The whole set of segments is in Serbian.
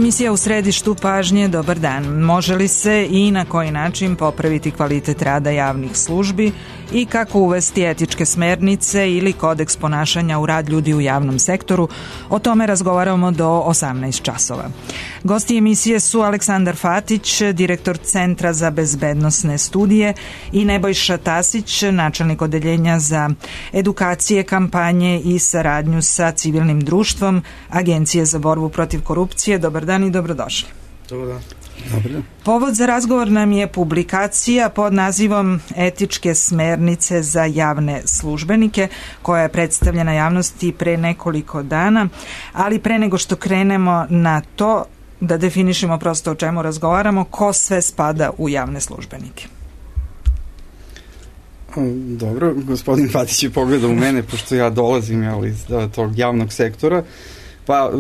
Emisija u središtu pažnje, dobar dan. Može li se i na koji način popraviti kvalitet rada javnih službi i kako uvesti etičke smernice ili kodeks ponašanja u rad ljudi u javnom sektoru? O tome razgovaramo do 18 časova. Gosti emisije su Aleksandar Fatić, direktor Centra za bezbednosne studije, i Nebojša Tasić, načelnik odeljenja za edukacije, kampanje i saradnju sa civilnim društvom Agencije za borbu protiv korupcije. Dobar dan i dobrodošli. Dobar dan. Dobar dan. Povod za razgovor nam je publikacija pod nazivom Etičke smernice za javne službenike, koja je predstavljena javnosti pre nekoliko dana, ali pre nego što krenemo na to, da definišemo prosto o čemu razgovaramo, ko sve spada u javne službenike. Dobro, gospodin Fatić je pogledao u mene, pošto ja dolazim iz tog javnog sektora. Pa,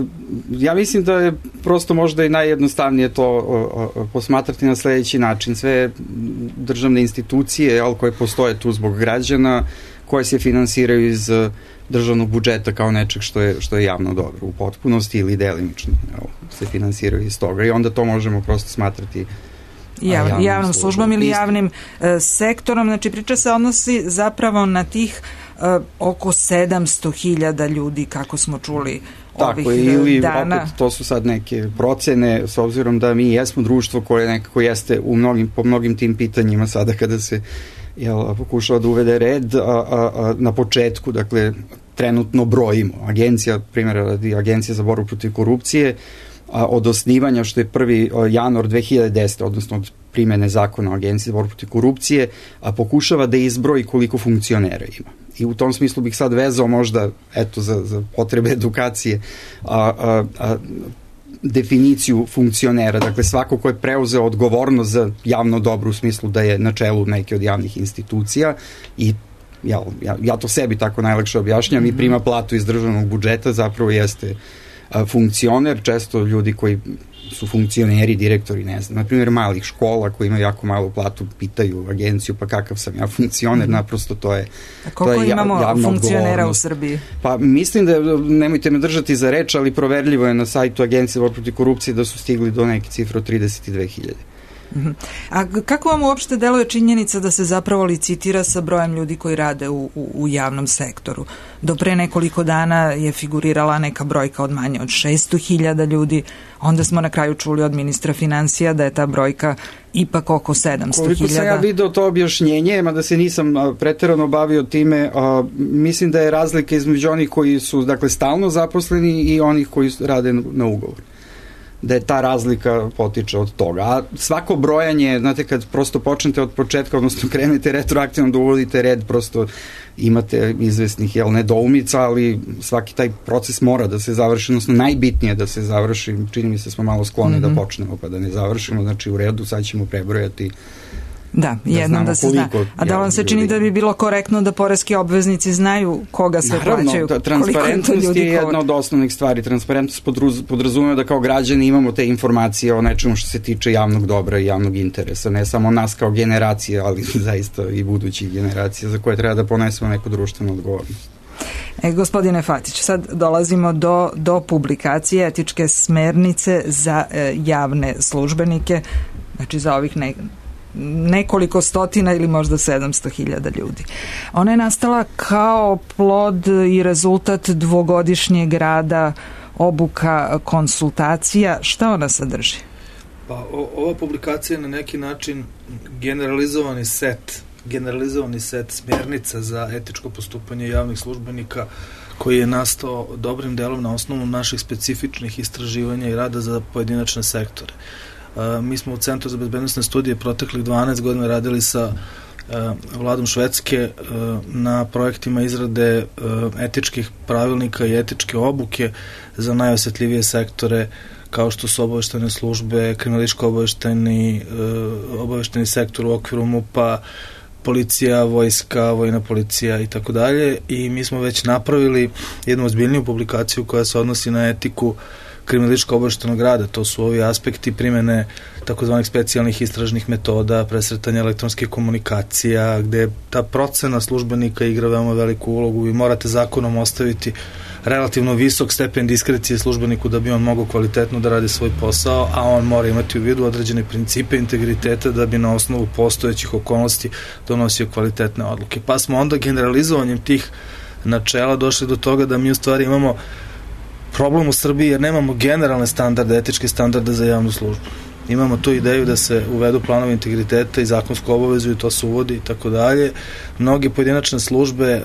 ja mislim da je prosto možda i najjednostavnije to posmatrati na sledeći način. Sve državne institucije, koje postoje tu zbog građana, koje se finansiraju iz državnog budžeta kao nečeg što je javno dobro u potpunosti ili delimično se finansiraju iz toga, i onda to možemo prosto smatrati javnom službom ili javnim sektorom. Znači, priča se odnosi zapravo na tih oko 700.000 ljudi, kako smo čuli ovih ili dana. Opet, to su sad neke procene, s obzirom da mi jesmo društvo koje nekako jeste po mnogim tim pitanjima sada kada se pokušava da uvede red, na početku, dakle, trenutno brojimo. Primjera radi, Agencija za borbu protiv korupcije, od osnivanja, što je 1. januar 2010. odnosno od primene zakona o Agenciji za borbu protiv korupcije, pokušava da izbroji koliko funkcionera ima. I u tom smislu bih sad vezao možda, za potrebe edukacije, definiciju funkcionera. Dakle, svako ko je preuzeo odgovornost za javno dobro, u smislu da je na čelu neke od javnih institucija, i ja to sebi tako najlakše objašnjam, i prima platu iz državnog budžeta, zapravo jeste funkcioner. Često ljudi koji su funkcioneri, direktori, ne znam, na primjer malih škola koji imaju jako malu platu, pitaju agenciju, pa kakav sam ja funkcioner, naprosto to je koliko imamo funkcionera u Srbiji? Pa mislim da, nemojte me držati za reč, ali proverljivo je na sajtu Agencije za borbu protiv korupcije da su stigli do neke cifre od 32.000. A kako vam uopšte deluje činjenica da se zapravo licitira sa brojem ljudi koji rade u javnom sektoru? Do pre nekoliko dana je figurirala neka brojka od manje od 600.000 ljudi, onda smo na kraju čuli od ministra finansija da je ta brojka ipak oko 700.000. Koliko sam ja video to objašnjenje, mada se nisam preterano bavio time, mislim da je razlika između onih koji su, dakle, stalno zaposleni i onih koji rade na ugovor. Da je ta razlika potiče od toga. A svako brojanje, znate, kad prosto počnete od početka, odnosno krenete retroaktivno da uvodite red, prosto imate izvesnih nedoumica, ali svaki taj proces mora da se završi, odnosno najbitnije da se završi. Čini mi se smo malo skloni da počnemo pa da ne završimo, znači u redu, sad ćemo prebrojati. Da, jednom da se zna. A da vam se čini da bi bilo korektno da poreski obveznici znaju koga sve plaćaju? Naravno, transparentnost je jedna od osnovnih stvari. Transparentnost podrazumeva da kao građani imamo te informacije o nečemu što se tiče javnog dobra i javnog interesa. Ne samo nas kao generacije, ali zaista i budućih generacija za koje treba da ponesemo neku društvenu odgovornost. Gospodine Fatić, sad dolazimo do publikacije Etičke smernice za javne službenike, znači za ovih nekoliko stotina ili možda 700.000 ljudi. Ona je nastala kao plod i rezultat dvogodišnjeg rada, obuka, konsultacija. Šta ona sadrži? Pa, ova publikacija je na neki način generalizovani set smjernica za etičko postupanje javnih službenika, koji je nastao dobrim delom na osnovu naših specifičnih istraživanja i rada za pojedinačne sektore. Mi smo u Centru za bezbednosne studije proteklih 12 godina radili sa vladom Švedske na projektima izrade etičkih pravilnika i etičke obuke za najosetljivije sektore, kao što su obaveštajne službe, kriminalističko-obaveštajni sektor u okviru MUP-a, policija, vojska, vojna policija i tako dalje. I mi smo već napravili jednu ozbiljniju publikaciju koja se odnosi na etiku kriminalističko-obaveštajnog rada. To su ovi aspekti primene takozvanih specijalnih istražnih metoda, presretanja elektronskih komunikacija, gde ta procena službenika igra veoma veliku ulogu. Vi morate zakonom ostaviti relativno visok stepen diskrecije službeniku da bi on mogao kvalitetno da radi svoj posao, a on mora imati u vidu određene principe integriteta da bi na osnovu postojećih okolnosti donosio kvalitetne odluke. Pa smo onda generalizovanjem tih načela došli do toga da mi u stvari imamo problem u Srbiji jer nemamo generalne standarde, etičke standarde za javnu službu. Imamo tu ideju da se uvedu planovi integriteta i zakonsku obavezu i to se uvodi i tako dalje. Mnoge pojedinačne službe,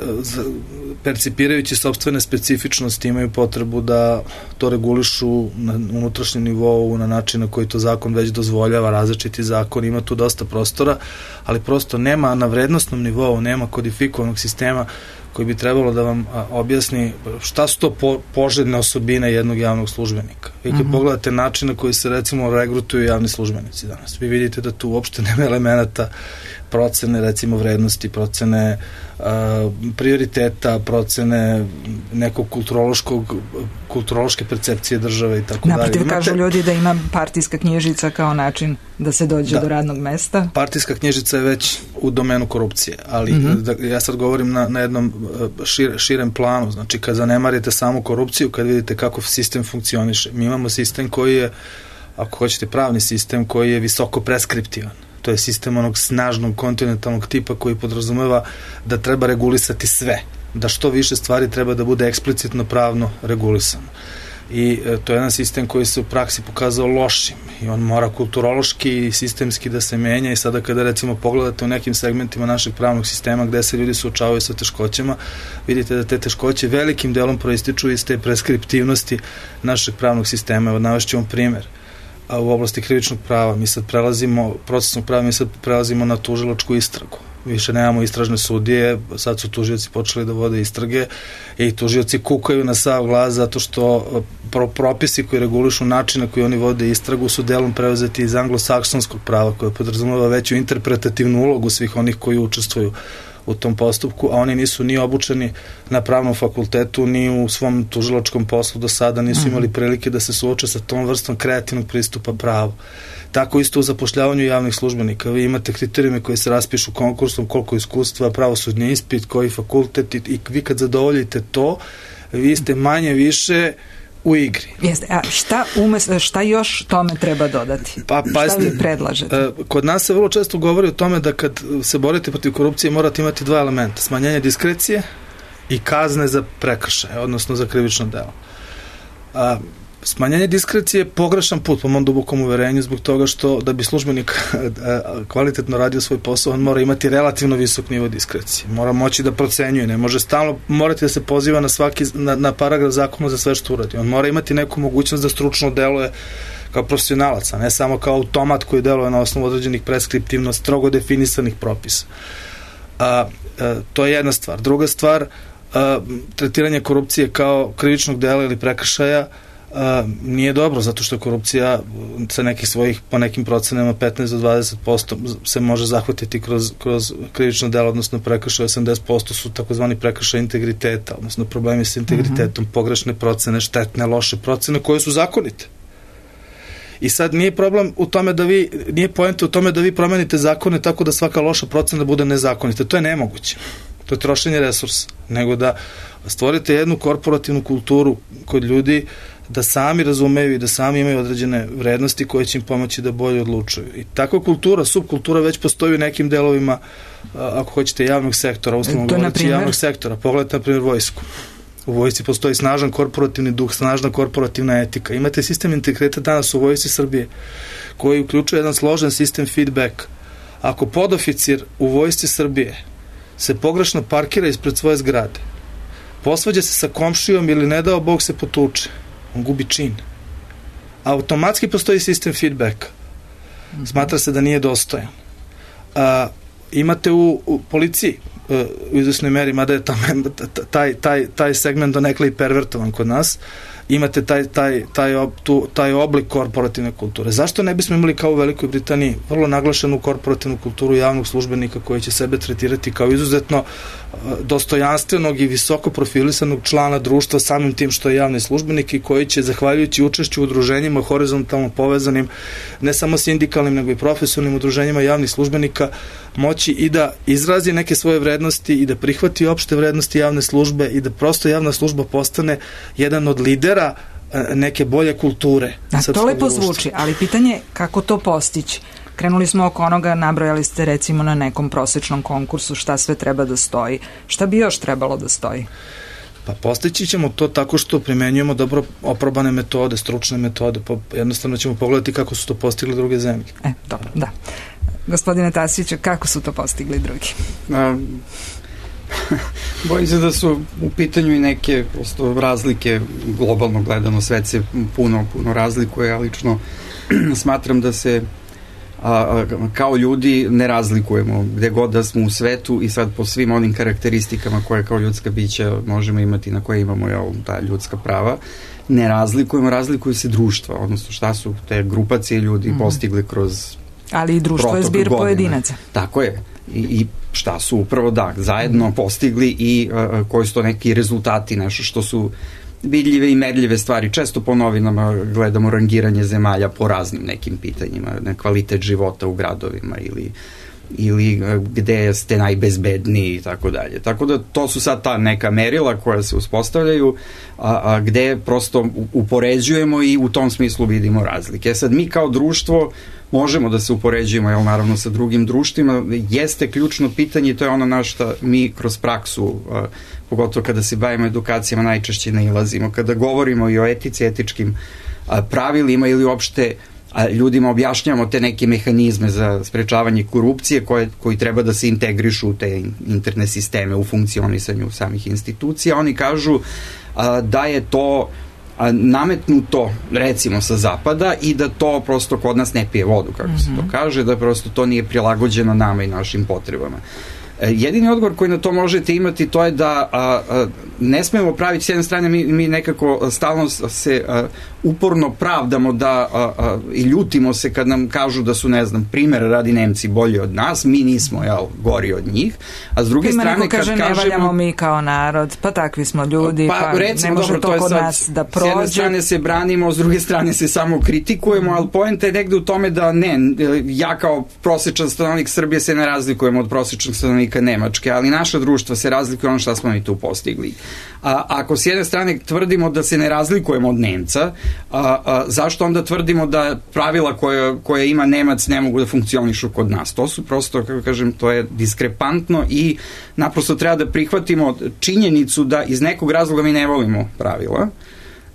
percipirajući sopstvene specifičnosti, imaju potrebu da to regulišu na unutrašnjem nivou, na način na koji to zakon već dozvoljava, različiti zakon, ima tu dosta prostora, ali prosto nema na vrednostnom nivou, nema kodifikovanog sistema koji bi trebalo da vam objasni šta su to poželjne osobine jednog javnog službenika. Vi kad pogledate način na koji se recimo regrutuju javni službenici danas, vi vidite da tu uopšte nema elemenata procene recimo vrednosti, procene prioriteta, procene nekog kulturološke percepcije države i tako dalje. Naprotiv, kažu ljudi da ima partijska knjižica kao način da se dođe do radnog mesta. Partijska knjižica je već u domenu korupcije, ali ja sad govorim na jednom širem planu, znači kad zanemarite samu korupciju, kad vidite kako sistem funkcioniše. Mi imamo sistem koji je, ako hoćete, pravni sistem koji je visoko preskriptivan. To je sistem onog snažnog kontinentalnog tipa koji podrazumeva da treba regulisati sve, da što više stvari treba da bude eksplicitno pravno regulisano. I to je jedan sistem koji se u praksi pokazao lošim i on mora kulturološki i sistemski da se menja i sada kada recimo pogledate u nekim segmentima našeg pravnog sistema gde se ljudi suočavaju sa teškoćama, vidite da te teškoće velikim delom proističu iz te preskriptivnosti našeg pravnog sistema. Evo, navešću vam primer. A u oblasti krivičnog prava mi sad procesnog prava mi sad prelazimo na tužilačku istragu. Više nemamo istražne sudije, sad su tužioci počeli da vode istrage i tužioci kukaju na sav glas zato što propisi koji regulišu način na koji oni vode istragu su delom preuzeti iz anglosaksonskog prava koje podrazumeva veću interpretativnu ulogu svih onih koji učestvuju u tom postupku, a oni nisu ni obučeni na pravnom fakultetu, ni u svom tužilačkom poslu do sada nisu imali prilike da se suoče sa tom vrstom kreativnog pristupa pravu. Tako isto u zapošljavanju javnih službenika. Vi imate kriterijume koji se raspišu konkursom, koliko iskustva, pravosudni ispit, koji fakultet i vi kad zadovoljite to, vi ste manje više u igri. Jeste, a šta još tome treba dodati? Šta vi predlažete? Kod nas se vrlo često govori o tome da kad se borite protiv korupcije morate imati dva elementa, smanjenje diskrecije i kazne za prekršaje, odnosno za krivično delo. Smanjenje diskrecije je pogrešan put po mom dubokom uverenju zbog toga što da bi službenik kvalitetno radio svoj posao, on mora imati relativno visok nivo diskrecije. Mora moći da procenjuje, ne može stalno morati da se poziva na paragraf zakona za sve što uradi. On mora imati neku mogućnost da stručno deluje kao profesionalac, a ne samo kao automat koji deluje na osnovu određenih preskriptivno strogo definisanih propisa. To je jedna stvar. Druga stvar, tretiranje korupcije kao krivičnog dela ili prekršaja nije dobro, zato što korupcija sa nekih svojih, po nekim procenama 15 do 20% se može zahvatiti kroz krivično delo, odnosno prekršaj. 80% su takozvani prekršaj integriteta, odnosno problemi sa integritetom, pogrešne procene, štetne, loše procene koje su zakonite. I sad nije problem u tome nije poenta u tome da vi promenite zakone tako da svaka loša procena bude nezakonita. To je nemoguće. To je trošenje resursa. Nego da stvorite jednu korporativnu kulturu kod ljudi da sami razumeju i da sami imaju određene vrednosti koje će im pomoći da bolje odlučuju. I takva kultura, subkultura već postoji u nekim delovima, ako hoćete, javnog sektora, uslovno govoreći javnog sektora. Pogledajte, na primjer, vojsku. U vojsci postoji snažan korporativni duh, snažna korporativna etika. Imate sistem integriteta danas u vojsci Srbije koji uključuje jedan složen sistem feedback. Ako podoficir u vojsci Srbije se pogrešno parkira ispred svoje zgrade, posvađa se sa komšijom ili ne dao Bog se potuče, on gubi čin. Automatski postoji sistem feedbacka. Smatra se da nije dostojan. Imate u policiji u izvesnoj meri, mada je taj segment donekle i pervertovan kod nas, imate taj oblik korporativne kulture. Zašto ne bismo imali kao u Velikoj Britaniji vrlo naglašenu korporativnu kulturu javnog službenika koji će sebe tretirati kao izuzetno dostojanstvenog i visoko profilisanog člana društva samim tim što je javni službenik i koji će, zahvaljujući učešću u udruženjima horizontalno povezanim ne samo sindikalnim nego i profesionalnim udruženjima javnih službenika moći i da izrazi neke svoje vrednosti i da prihvati opšte vrednosti javne službe i da prosto javna služba postane jedan od lidera neke bolje kulture. To lepo zvuči, ali pitanje kako to postići? Krenuli smo oko onoga, nabrojali ste recimo na nekom prosečnom konkursu šta sve treba da stoji. Šta bi još trebalo da stoji? Pa postići ćemo to tako što primenjujemo dobro oprobane metode, stručne metode, jednostavno ćemo pogledati kako su to postigli druge zemlje. Dobro, da. Gospodine Tasiću, kako su to postigli drugi? Bojim se da su u pitanju i neke prosto razlike, globalno gledano svet se puno razlikuje, ja lično smatram da se kao ljudi ne razlikujemo gde god da smo u svetu i sad po svim onim karakteristikama koje kao ljudska bića možemo imati, na koje imamo ta ljudska prava, ne razlikujemo, razlikuju se društva, odnosno šta su te grupacije ljudi postigli kroz ali i društvo je zbir pojedinaca. Tako je. I šta su upravo zajedno postigli i koji su to neki rezultati, nešto što su vidljive i merljive stvari. Često po novinama gledamo rangiranje zemalja po raznim nekim pitanjima, na kvalitet života u gradovima ili gde ste najbezbedniji i tako dalje. Tako da to su sad ta neka merila koja se uspostavljaju, gde prosto upoređujemo i u tom smislu vidimo razlike. Sad mi kao društvo možemo da se upoređujemo, naravno sa drugim društvima, jeste ključno pitanje i to je ono na što mi kroz praksu, pogotovo kada se bavimo edukacijama, najčešće nailazimo. Kada govorimo i o etici, etičkim pravilima ili uopšte ljudima objašnjamo te neke mehanizme za sprečavanje korupcije koji treba da se integrišu u te interne sisteme u funkcionisanju samih institucija, oni kažu da je to nametnuto recimo sa zapada i da to prosto kod nas ne pije vodu, kako se to kaže, da prosto to nije prilagođeno nama i našim potrebama. Jedini odgovor koji na to možete imati to je da ne smemo praviti, s jedne strane mi nekako stalno se uporno pravdamo i ljutimo se kad nam kažu da su, ne znam, primjer radi Nemci bolji od nas, mi nismo gori od njih, a s druge strane kad kažemo... ne valjamo mi kao narod, pa takvi smo ljudi, pa recimo, ne može to kod nas da prođe. S jedne strane se branimo, s druge strane se samo kritikujemo, ali poenta je negde u tome da ja kao prosječan stanovnik Srbije se ne razlikujemo od prosječnog stanovnika Nemačke, ali naša društva se razlikuje ono što smo mi tu postigli. Ako s jedne strane tvrdimo da se ne razlikujemo od Nemca, zašto onda tvrdimo da pravila koje ima Nemac ne mogu da funkcionišu kod nas? To su prosto, kako kažem, to je diskrepantno i naprosto treba da prihvatimo činjenicu da iz nekog razloga mi ne volimo pravila,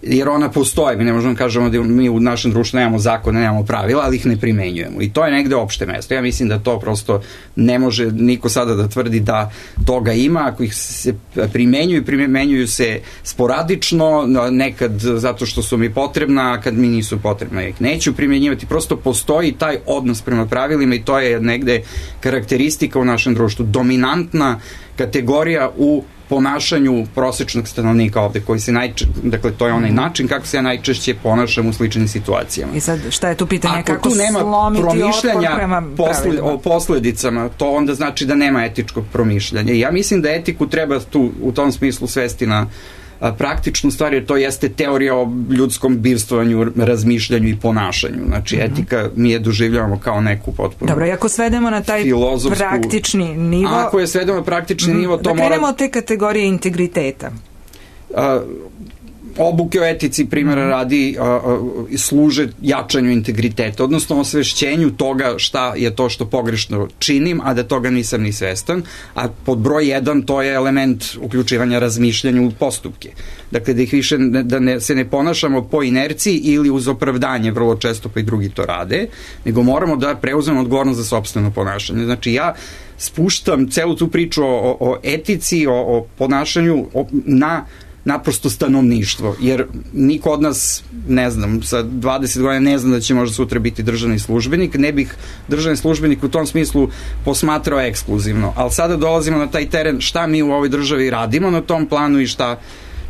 jer ona postoje, mi ne možemo kažemo da mi u našem društvu nemamo zakone, nemamo pravila, ali ih ne primenjujemo i to je negde opšte mesto. Ja mislim da to prosto ne može niko sada da tvrdi da toga ima, ako ih se primenjuju se sporadično, nekad zato što su mi potrebna, a kad mi nisu potrebna ih neću primenjivati, prosto postoji taj odnos prema pravilima i to je negde karakteristika u našem društvu, dominantna kategorija u ponašanju prosečnog stanovnika ovde, koji se dakle, to je onaj način kako se ja najčešće ponašam u sličnim situacijama. I sad, šta je tu pitanje? Ako kako tu nema promišljanja o posledicama, to onda znači da nema etičkog promišljanja. I ja mislim da etiku treba tu, u tom smislu svesti na praktičnu stvar, jer to jeste teorija o ljudskom bivstvovanju, razmišljanju i ponašanju. Znači, etika mi je doživljavamo kao neku potpuno... Dobro, i ako svedemo na taj praktični nivo... Ako je svedemo na praktični nivo, to mora... Da krenemo od te kategorije integriteta. Obuke o etici, primjera radi, služe jačanju integriteta, odnosno osvešćenju toga šta je to što pogrešno činim, a da toga nisam ni svestan, a pod broj 1 to je element uključivanja razmišljanju u postupke. Dakle, da ih više, se ne ponašamo po inerciji ili uz opravdanje, vrlo često pa i drugi to rade, nego moramo da preuzmemo odgovornost za sopstveno ponašanje. Znači, ja spuštam celu tu priču o etici, o ponašanju na naprosto stanovništvo, jer niko od nas, ne znam, sa 20 godina ne znam da će možda sutra biti državni službenik, ne bih državni službenik u tom smislu posmatrao ekskluzivno, ali sada dolazimo na taj teren šta mi u ovoj državi radimo na tom planu i šta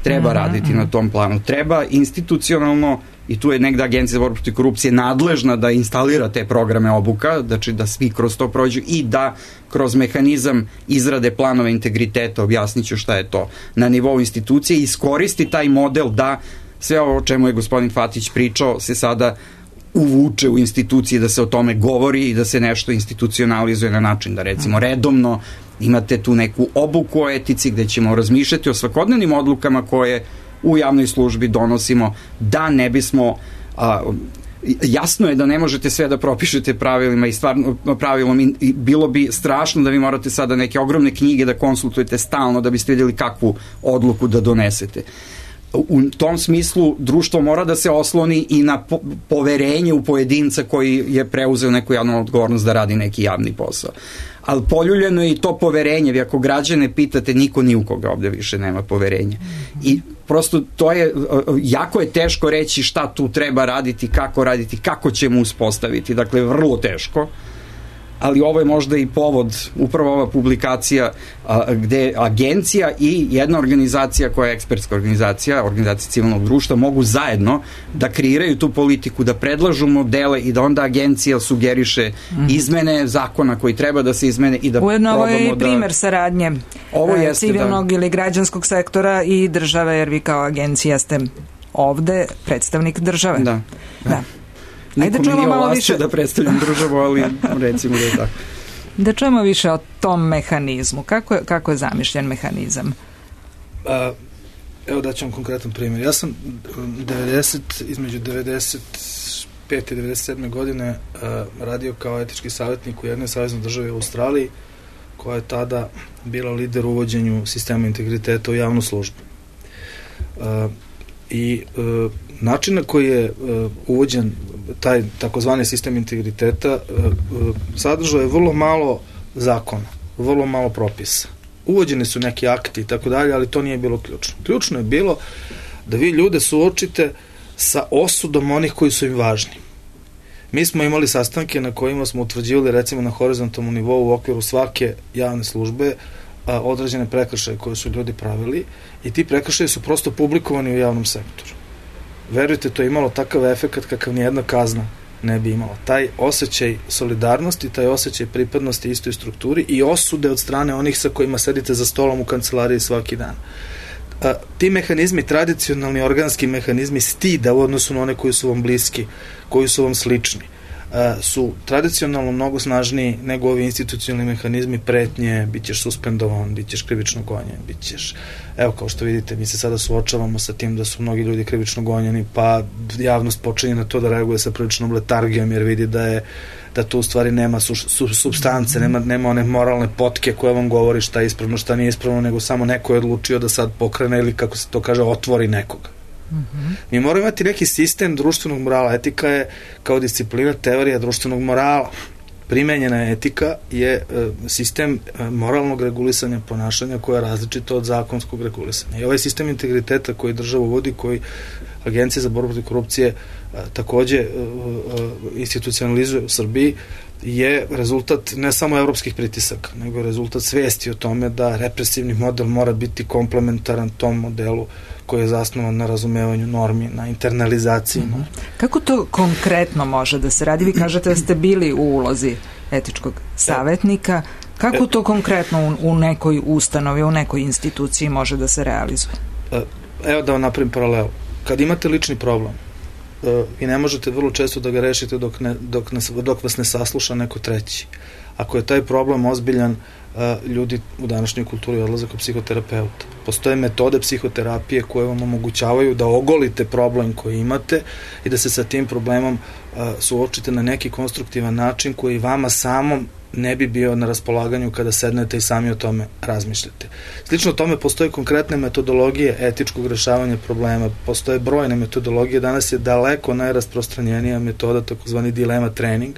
treba raditi na tom planu. Treba institucionalno, i tu je negde Agencija za borbu protiv korupcije nadležna da instalira te programe obuka, znači da svi kroz to prođu i da kroz mehanizam izrade planova integriteta, objasnit ću šta je to, na nivou institucije, iskoristi taj model da sve ovo o čemu je gospodin Fatić pričao se sada uvuče u institucije, da se o tome govori i da se nešto institucionalizuje na način da recimo redovno imate tu neku obuku o etici gde ćemo razmišljati o svakodnevnim odlukama koje u javnoj službi donosimo, da ne bismo jasno je da ne možete sve da propišete pravilima i stvarno pravilom i bilo bi strašno da vi morate sada neke ogromne knjige da konsultujete stalno da biste vidjeli kakvu odluku da donesete. U tom smislu društvo mora da se osloni i na poverenje u pojedinca koji je preuzeo neku javnu odgovornost da radi neki javni posao. Ali poljuljeno je i to poverenje, vi ako građane pitate, niko ni u koga ovde više nema poverenja. I prosto to je, jako je teško reći šta tu treba raditi, kako ćemo uspostaviti, dakle vrlo teško, ali ovo je možda i povod, upravo ova publikacija gde agencija i jedna organizacija koja je ekspertska organizacija civilnog društva mogu zajedno da kreiraju tu politiku, da predlažu modele i da onda agencija sugeriše izmene zakona koji treba da se izmene i da ujedno ovo je i primer saradnje civilnog ili građanskog sektora i države, jer vi kao agencija ste ovde predstavnik države. Da. Ajde, niko mi nije ovlašćio da predstavljam državu, ali recimo da je tako. Da čujemo više o tom mehanizmu. Kako je zamišljen mehanizam? Evo daću vam konkretan primjer. Ja sam između 95. i 97. godine radio kao etički savjetnik u jednoj saveznoj državi u Australiji, koja je tada bila lider u uvođenju sistema integriteta u javnu službu. I način na koji je uvođen taj takozvani sistem integriteta sadržao je vrlo malo zakona, vrlo malo propisa. Uvođeni su neki akti i tako dalje, ali to nije bilo ključno. Ključno je bilo da vi ljude suočite sa osudom onih koji su im važni. Mi smo imali sastanke na kojima smo utvrđivali recimo na horizontalnom nivou u okviru svake javne službe određene prekršaje koje su ljudi pravili i ti prekršaje su prosto publikovani u javnom sektoru. Verujte, to je imalo takav efekat kakav nijedna kazna ne bi imala. Taj osjećaj solidarnosti, taj osjećaj pripadnosti istoj strukturi i osude od strane onih sa kojima sedite za stolom u kancelariji svaki dan. Ti mehanizmi, tradicionalni organski mehanizmi stida u odnosu na one koji su vam bliski, koji su vam slični, su tradicionalno mnogo snažniji nego ovi institucionalni mehanizmi pretnje, bit ćeš suspendovan, bit ćeš krivično gonjen, bit ćeš, evo kao što vidite, mi se sada suočavamo sa tim da su mnogi ljudi krivično gonjeni, pa javnost počinje na to da reaguje sa priličnom letargijom, jer vidi da tu u stvari nema supstance, nema one moralne potke koje vam govori šta je ispravno, šta nije ispravno, nego samo neko je odlučio da sad pokrene ili, kako se to kaže, otvori nekoga. Mi moramo imati neki sistem društvenog morala. Etika je kao disciplina teorija društvenog morala. Primenjena etika je sistem moralnog regulisanja ponašanja koja je različito od zakonskog regulisanja. I ovaj sistem integriteta koji država uvodi, koji Agencija za borbu protiv korupcije takođe institucionalizuje u Srbiji, je rezultat ne samo evropskih pritisaka, nego je rezultat svesti o tome da represivni model mora biti komplementaran tom modelu koji je zasnovan na razumevanju normi, na internalizaciji. Kako to konkretno može da se radi? Vi kažete da ste bili u ulozi etičkog savjetnika. Kako to konkretno u nekoj ustanovi, u nekoj instituciji može da se realizuje? Evo da vam napravim paralelu. Kad imate lični problem, vi ne možete vrlo često da ga rešite dok vas ne sasluša neko treći. Ako je taj problem ozbiljan, ljudi u današnjoj kulturi odlaze kod psihoterapeuta. Postoje metode psihoterapije koje vam omogućavaju da ogolite problem koji imate i da se sa tim problemom suočite na neki konstruktivan način koji vama samom ne bi bio na raspolaganju kada sednete i sami o tome razmišljate. Slično tome postoje konkretne metodologije etičkog rešavanja problema, postoje brojne metodologije, danas je daleko najrasprostranjenija metoda takozvani dilema trening.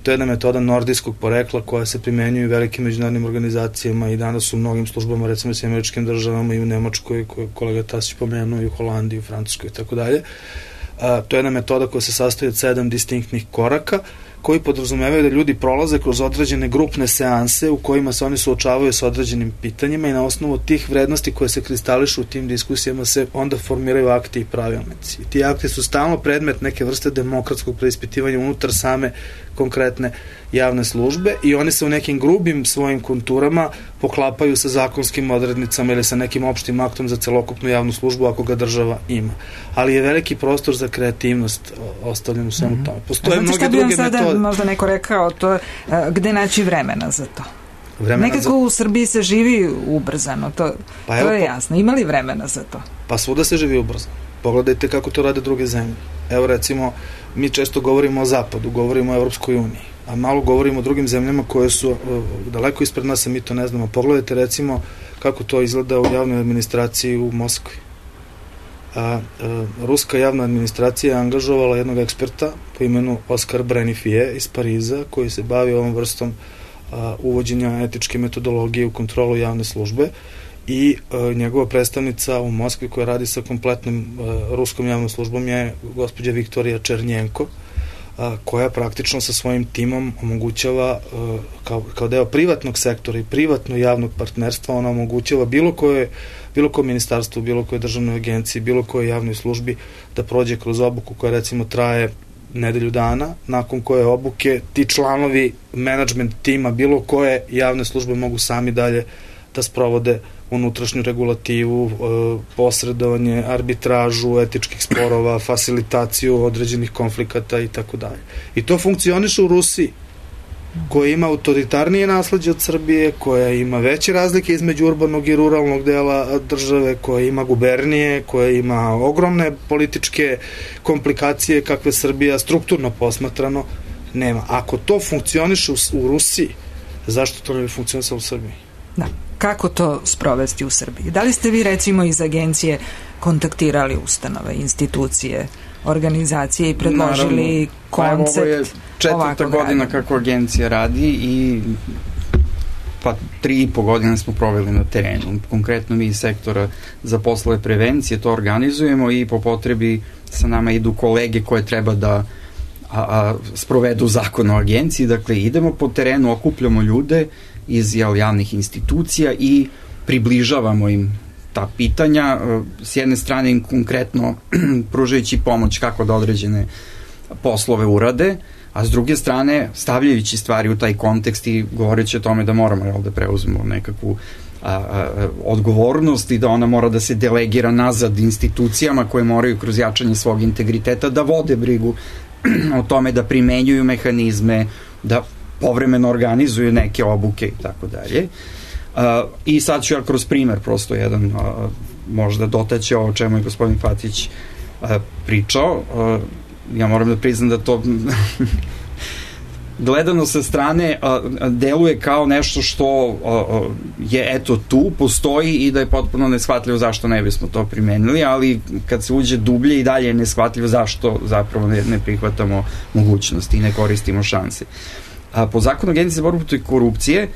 To je jedna metoda nordijskog porekla koja se primenjuje u velikim međunarodnim organizacijama i danas u mnogim službama, recimo u Američkim državama i u Nemačkoj, koju kolega Tasić pomenuo, i u Holandiji, u Francuskoj i tako dalje. To je jedna metoda koja se sastoji od 7 distinktnih koraka koji podrazumevaju da ljudi prolaze kroz određene grupne seanse u kojima se oni suočavaju sa određenim pitanjima i na osnovu tih vrednosti koje se kristališu u tim diskusijama se onda formiraju akti i pravilnici. I ti akti su stalno predmet neke vrste demokratskog preispitivanja unutar same konkretne javne službe i one se u nekim grubim svojim konturama poklapaju sa zakonskim odrednicama ili sa nekim opštim aktom za celokupnu javnu službu ako ga država ima. Ali je veliki prostor za kreativnost ostavljen u svemu tome. Postoje mnoge druge metode. Sada možda neko rekao to, gde naći vremena za to? Nekako u Srbiji se živi ubrzano, to je jasno. Ima li vremena za to? Pa svuda se živi ubrzano. Pogledajte kako to rade druge zemlje. Evo recimo, mi često govorimo o Zapadu, govorimo o Evropskoj uniji, a malo govorimo o drugim zemljama koje su daleko ispred nas, a mi to ne znamo. Pogledajte recimo kako to izgleda u javnoj administraciji u Moskvi. Ruska javna administracija je angažovala jednog eksperta po imenu Oskar Brenifije iz Pariza, koji se bavi ovom vrstom uvođenja etičke metodologije u kontrolu javne službe i njegova predstavnica u Moskvi koja radi sa kompletnom ruskom javnom službom je gospođa Viktorija Černjenko, koja praktično sa svojim timom omogućava kao deo privatnog sektora i privatno javnog partnerstva, ona omogućava bilo koje ministarstvo, bilo koje državnoj agenciji, bilo koje javnoj službi da prođe kroz obuku koja recimo traje nedelju dana, nakon koje obuke ti članovi menadžment tima bilo koje javne službe mogu sami dalje da sprovode unutrašnju regulativu, posredovanje, arbitražu etičkih sporova, fasilitaciju određenih konflikata i tako dalje. I to funkcioniše u Rusiji, koja ima autoritarnije nasleđe od Srbije, koja ima veće razlike između urbanog i ruralnog dela države, koja ima gubernije, koja ima ogromne političke komplikacije kakve Srbija strukturno posmatrano nema. Ako to funkcioniše u Rusiji, zašto to ne bi funkcionisalo u Srbiji? Da. Kako to sprovesti u Srbiji? Da li ste vi recimo iz agencije kontaktirali ustanove, institucije, organizacije i predložili koncept ovo je 4. godina kako agencija radi i 3,5 godine smo proveli na terenu. Konkretno mi iz sektora za poslove prevencije to organizujemo i po potrebi sa nama idu kolege koje treba da sprovedu zakon o agenciji. Dakle, idemo po terenu, okupljamo ljude iz javnih institucija i približavamo im ta pitanja, s jedne strane im konkretno pružajući pomoć kako da određene poslove urade, a s druge strane stavljajući stvari u taj kontekst i govoreći o tome da moramo da preuzmemo nekakvu odgovornost i da ona mora da se delegira nazad institucijama koje moraju kroz jačanje svog integriteta da vode brigu o tome, da primenjuju mehanizme, da povremeno organizuju neke obuke i tako dalje. I sad ću ja kroz primer prosto jedan možda dotaći o čemu je gospodin Fatić pričao. Ja moram da priznam da to gledano sa strane deluje kao nešto što je eto tu, postoji i da je potpuno neshvatljivo zašto ne bismo to primenili, ali kad se uđe dublje i dalje je neshvatljivo zašto zapravo ne prihvatamo mogućnosti i ne koristimo šanse. Po zakonu Agencije za borbu protiv korupcije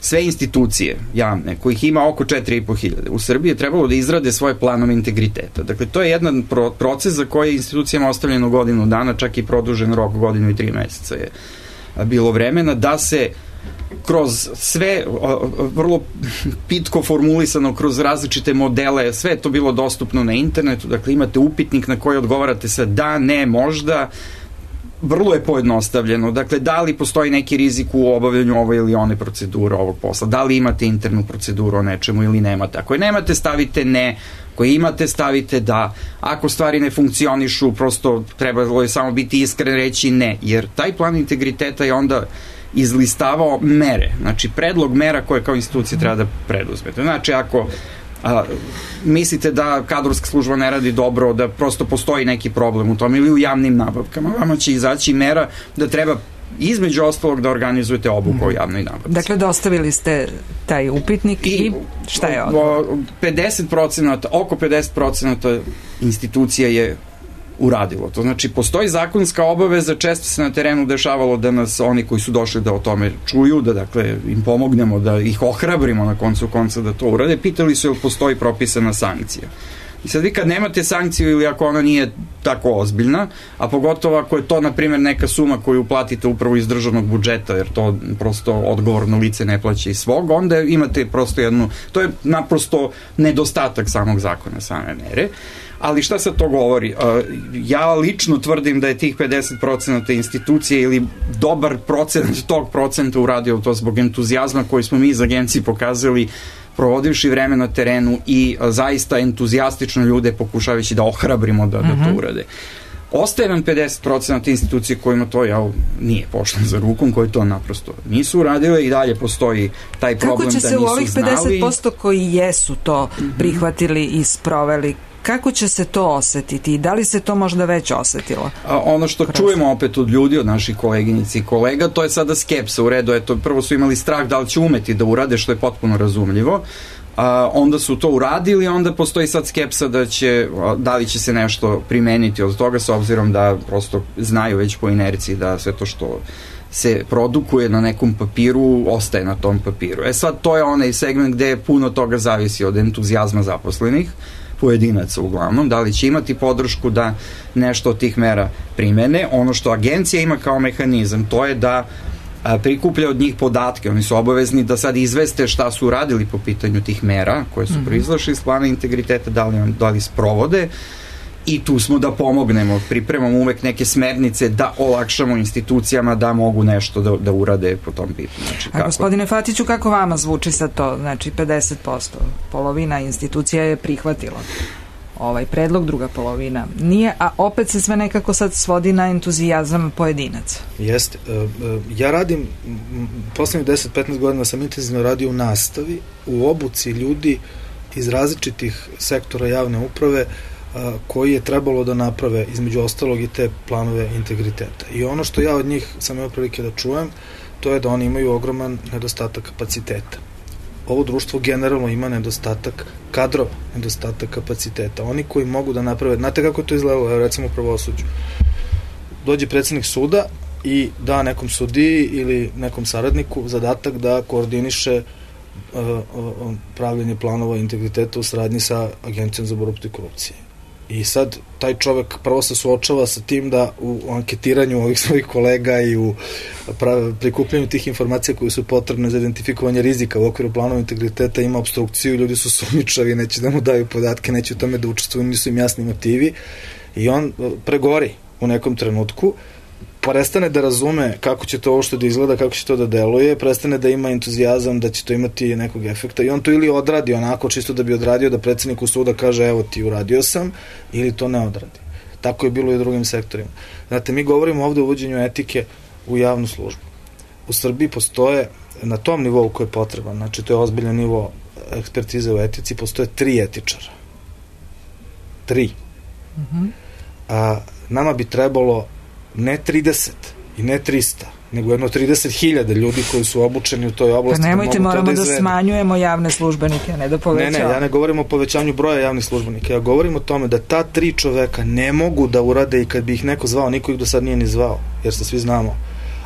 sve institucije javne, kojih ima oko 4.500 u Srbiji, je trebalo da izrade svoje planove integriteta. Dakle, to je jedan proces za koji je institucijama ostavljeno godinu dana, čak i produžen rok godinu i 3 meseca je bilo vremena, da se kroz sve vrlo pitko formulisano, kroz različite modele, sve je to bilo dostupno na internetu, dakle imate upitnik na koji odgovarate sa da, ne, možda, vrlo je pojednostavljeno. Dakle, da li postoji neki rizik u obavljanju ove ili one procedure ovog posla? Da li imate internu proceduru o nečemu ili nemate? Ako je nemate, stavite ne. Ako imate, stavite da. Ako stvari ne funkcionišu, prosto trebalo je samo biti iskren, reći ne. Jer taj plan integriteta je onda izlistavao mere. Znači, predlog mera koje kao institucija treba da preduzmete. Znači, ako mislite da kadrovska služba ne radi dobro, da prosto postoji neki problem u tom ili u javnim nabavkama, vama će izaći mera da treba između ostalog da organizujete obuku o javnoj nabavci. Dakle, dostavili ste taj upitnik i šta je odgovor? 50%, oko 50% institucija je uradilo to. Znači, postoji zakonska obaveza, često se na terenu dešavalo da nas oni koji su došli da o tome čuju, da dakle im pomognemo, da ih ohrabrimo na koncu konca da to urade, pitali su jel postoji propisana sankcija. I sad vi kad nemate sankciju ili ako ona nije tako ozbiljna, a pogotovo ako je to, na primjer, neka suma koju platite upravo iz državnog budžeta, jer to prosto odgovorno lice ne plaća iz svog, onda imate prosto to je naprosto nedostatak samog zakona, same mere. Ali šta sad to govori? Ja lično tvrdim da je tih 50% institucije ili dobar procent tog procenta uradio to zbog entuzijazma koji smo mi iz agencije pokazali provodivši vreme na terenu i zaista entuzijastično ljude pokušavajući da ohrabrimo da to urade. Ostaje nam 50% institucije kojima to nije pošlo za rukom, koji to naprosto nisu uradile i dalje postoji taj problem da nisu znali. Kako će se u ovih 50% koji jesu to prihvatili i sproveli, kako će se to osetiti i da li se to možda već osetilo? Ono što čujemo opet od ljudi, od naših koleginici i kolega, to je sada skepsa. U redu, prvo su imali strah da li će umeti da urade, što je potpuno razumljivo. Onda su to uradili, onda postoji sad skepsa da li će se nešto primeniti od toga, s obzirom da prosto znaju već po inerciji da sve to što se produkuje na nekom papiru, ostaje na tom papiru. Sad to je onaj segment gde puno toga zavisi od entuzijazma zaposlenih, pojedinaca uglavnom, da li će imati podršku da nešto od tih mera primene. Ono što agencija ima kao mehanizam, to je da prikuplja od njih podatke, oni su obavezni da sad izveste šta su uradili po pitanju tih mera koje su proizašle iz plana integriteta, da li sprovode, i tu smo da pomognemo, pripremamo uvek neke smernice da olakšamo institucijama da mogu nešto da urade po tom pitanju. A gospodine Fatiću, kako vama zvuči sad to? Znači 50%, polovina institucija je prihvatila ovaj predlog, druga polovina nije, a opet se sve nekako sad svodi na entuzijazam pojedinaca. Jeste. Ja radim, poslednjih 10-15 godina sam intenzivno radio u nastavi, u obuci ljudi iz različitih sektora javne uprave koji je trebalo da naprave između ostalog i te planove integriteta. I ono što ja od njih sam imao prilike da čujem, to je da oni imaju ogroman nedostatak kapaciteta. Ovo društvo generalno ima nedostatak kadrova, nedostatak kapaciteta. Oni koji mogu da naprave, znate kako to izgledalo, recimo u pravosuđu. Dođe predsednik suda i da nekom sudiji ili nekom saradniku zadatak da koordiniše pravljenje planova integriteta u saradnji sa Agencijom za borbu protiv korupcije. I sad taj čovek prvo se suočava sa tim da u anketiranju ovih svojih kolega i u prikupljanju tih informacija koje su potrebne za identifikovanje rizika u okviru planova integriteta ima obstrukciju, ljudi su sumnjičavi, neće da mu daju podatke, neće u tome da učestvuju, nisu im jasni motivi i on pregori u nekom trenutku, prestane da razume kako će to ovo što da izgleda, kako će to da deluje, prestane da ima entuzijazam da će to imati nekog efekta i on to ili odradi onako čisto da bi odradio da predsedniku suda kaže evo ti uradio sam, ili to ne odradi. Tako je bilo i u drugim sektorima. Znate, mi govorimo ovde o uvođenju etike u javnu službu. U Srbiji postoje na tom nivou koji je potreban, znači to je ozbiljan nivo ekspertize u etici, postoje 3 etičara. 3. A nama bi trebalo ne 30 i ne 300, nego jedno 30.000 ljudi koji su obučeni u toj oblasti. Pa nemojte, moramo da smanjujemo javne službenike, ne da povećamo. Ne, ja ne govorim o povećanju broja javnih službenika, ja govorim o tome da ta 3 čoveka ne mogu da urade i kad bi ih neko zvao, niko ih do sad nije ni zvao, jer se svi znamo,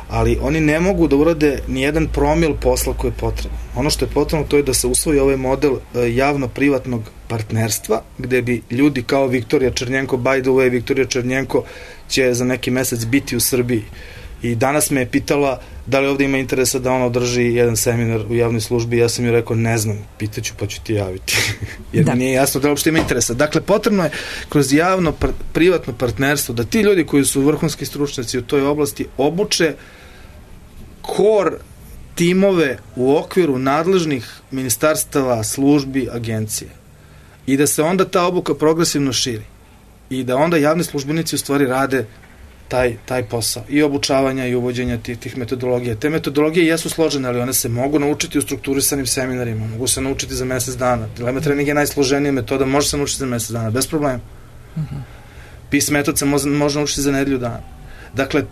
ali oni ne mogu da urade ni jedan promil posla koji je potreban. Ono što je potrebno to je da se usvoji ovaj model javno-privatnog partnerstva, gde bi ljudi kao Viktorija Černjenko, by the way, Viktorija Černjenko će za neki mesec biti u Srbiji. I danas me je pitala da li ovde ima interesa da ona održi jedan seminar u javnoj službi. Ja sam joj rekao, ne znam, pitaću pa ću ti javiti. Jer mi nije jasno da li uopšte ima interesa. Dakle, potrebno je kroz javno-privatno partnerstvo da ti ljudi koji su vrhunski stručnjaci u toj oblasti obuče kor timove u okviru nadležnih ministarstava, službi, agencije. I da se onda ta obuka progresivno širi. I da onda javni službenici u stvari rade taj posao. I obučavanja i uvođenja tih metodologija. Te metodologije jesu složene, ali one se mogu naučiti u strukturisanim seminarima. Mogu se naučiti za mesec dana. Dilema trening je najsloženija metoda, može se naučiti za mesec dana, bez problema. PIS metod se može naučiti za nedelju dana. Dakle,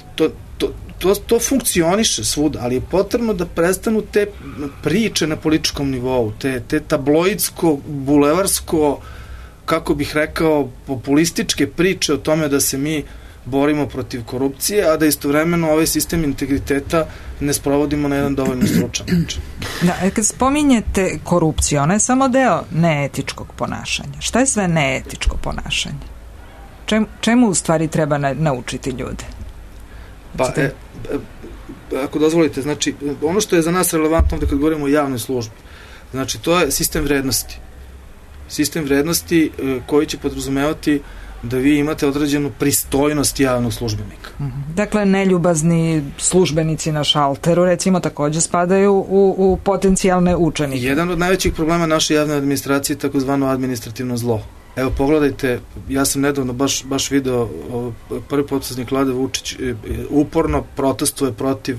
to funkcioniše svuda, ali je potrebno da prestanu te priče na političkom nivou, te tabloidsko, bulevarsko, kako bih rekao, populističke priče o tome da se mi borimo protiv korupcije, a da istovremeno ovaj sistem integriteta ne sprovodimo na jedan dovoljno stručan način. Da, kad spominjete korupciju, ona je samo deo neetičkog ponašanja. Šta je sve neetičko ponašanje? Čemu u stvari treba naučiti ljude? Pa, ako dozvolite, znači, ono što je za nas relevantno ovde kad govorimo o javnoj službi, znači, to je sistem vrednosti. Sistem vrednosti koji će podrazumevati da vi imate određenu pristojnost javnog službenika. Dakle, neljubazni službenici na šalteru, recimo, takođe spadaju u potencijalne učenike. Jedan od najvećih problema naše javne administracije je takozvano administrativno zlo. Evo, pogledajte, ja sam nedavno baš video, prvi potpredsednik Vlade Vučić uporno protestuje protiv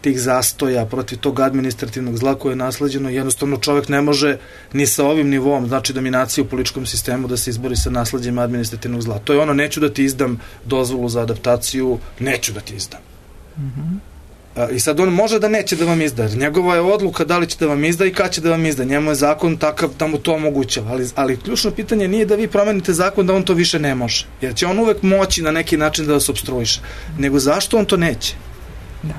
tih zastoja, protiv tog administrativnog zla koje je nasleđeno. Jednostavno čovjek ne može ni sa ovim nivom, znači dominacije u političkom sistemu, da se izbori sa nasleđem administrativnog zla. To je ono, neću da ti izdam dozvolu za adaptaciju, neću da ti izdam. I sad on može da neće da vam izda. Njegova je odluka da li će da vam izda i kad će da vam izda. Njemu je zakon takav da mu to omogućava. Ali ključno pitanje nije da vi promenite zakon da on to više ne može. Jer će on uvek moći na neki način da vas opstruiše. Nego zašto on to neće? Da.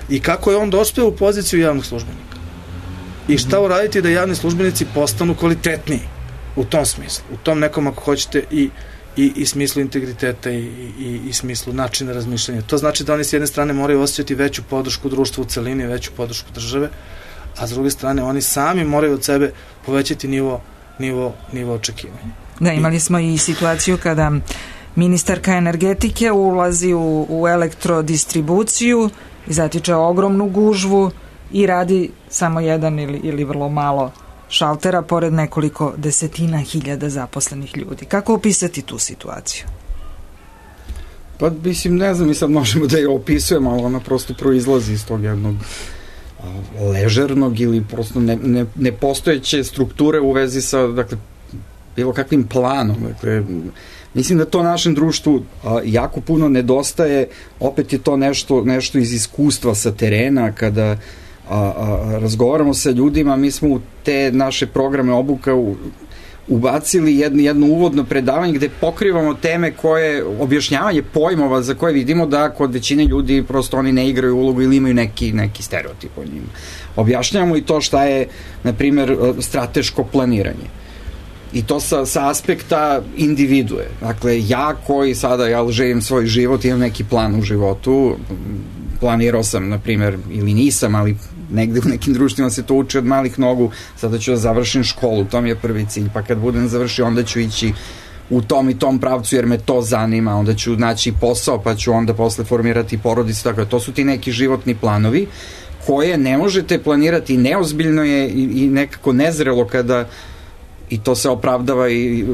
I kako je on dospeo u poziciju javnog službenika. I šta uraditi da javni službenici postanu kvalitetniji u tom smislu. U tom nekom, ako hoćete, i smislu integriteta i smislu načina razmišljanja. To znači da oni s jedne strane moraju osjećati veću podršku društva u celini, veću podršku države, a s druge strane oni sami moraju od sebe povećati nivo očekivanja. Da, imali smo i situaciju kada ministarka energetike ulazi u elektrodistribuciju i zatiče ogromnu gužvu i radi samo jedan ili vrlo malo šaltera pored nekoliko desetina hiljada zaposlenih ljudi. Kako opisati tu situaciju? Pa, mislim, ne znam, mi sad možemo da je opisujemo, ali ona prosto proizlazi iz tog jednog ležernog ili prosto nepostojeće strukture u vezi sa, dakle, bilo kakvim planom. Dakle, mislim da to našem društvu jako puno nedostaje. Opet je to nešto iz iskustva sa terena, kada razgovaramo sa ljudima. Mi smo u te naše programe obuka ubacili jedno uvodno predavanje gde pokrivamo teme koje, objašnjavanje pojmova za koje vidimo da kod većine ljudi prosto oni ne igraju ulogu ili imaju neki stereotip o njima. Objašnjavamo i to šta je, na primer, strateško planiranje. I to sa aspekta individue. Dakle, ja koji sada živim svoj život, imam neki plan u životu, planirao sam, na primjer, ili nisam, ali negde u nekim društvima se to uči od malih nogu, sada ću da završim školu, to mi je prvi cilj, pa kad budem završio, onda ću ići u tom i tom pravcu jer me to zanima, onda ću naći posao, pa ću onda posle formirati porodicu, tako da to su ti neki životni planovi koje ne možete planirati, neozbiljno je i nekako nezrelo kada, i to se opravdava i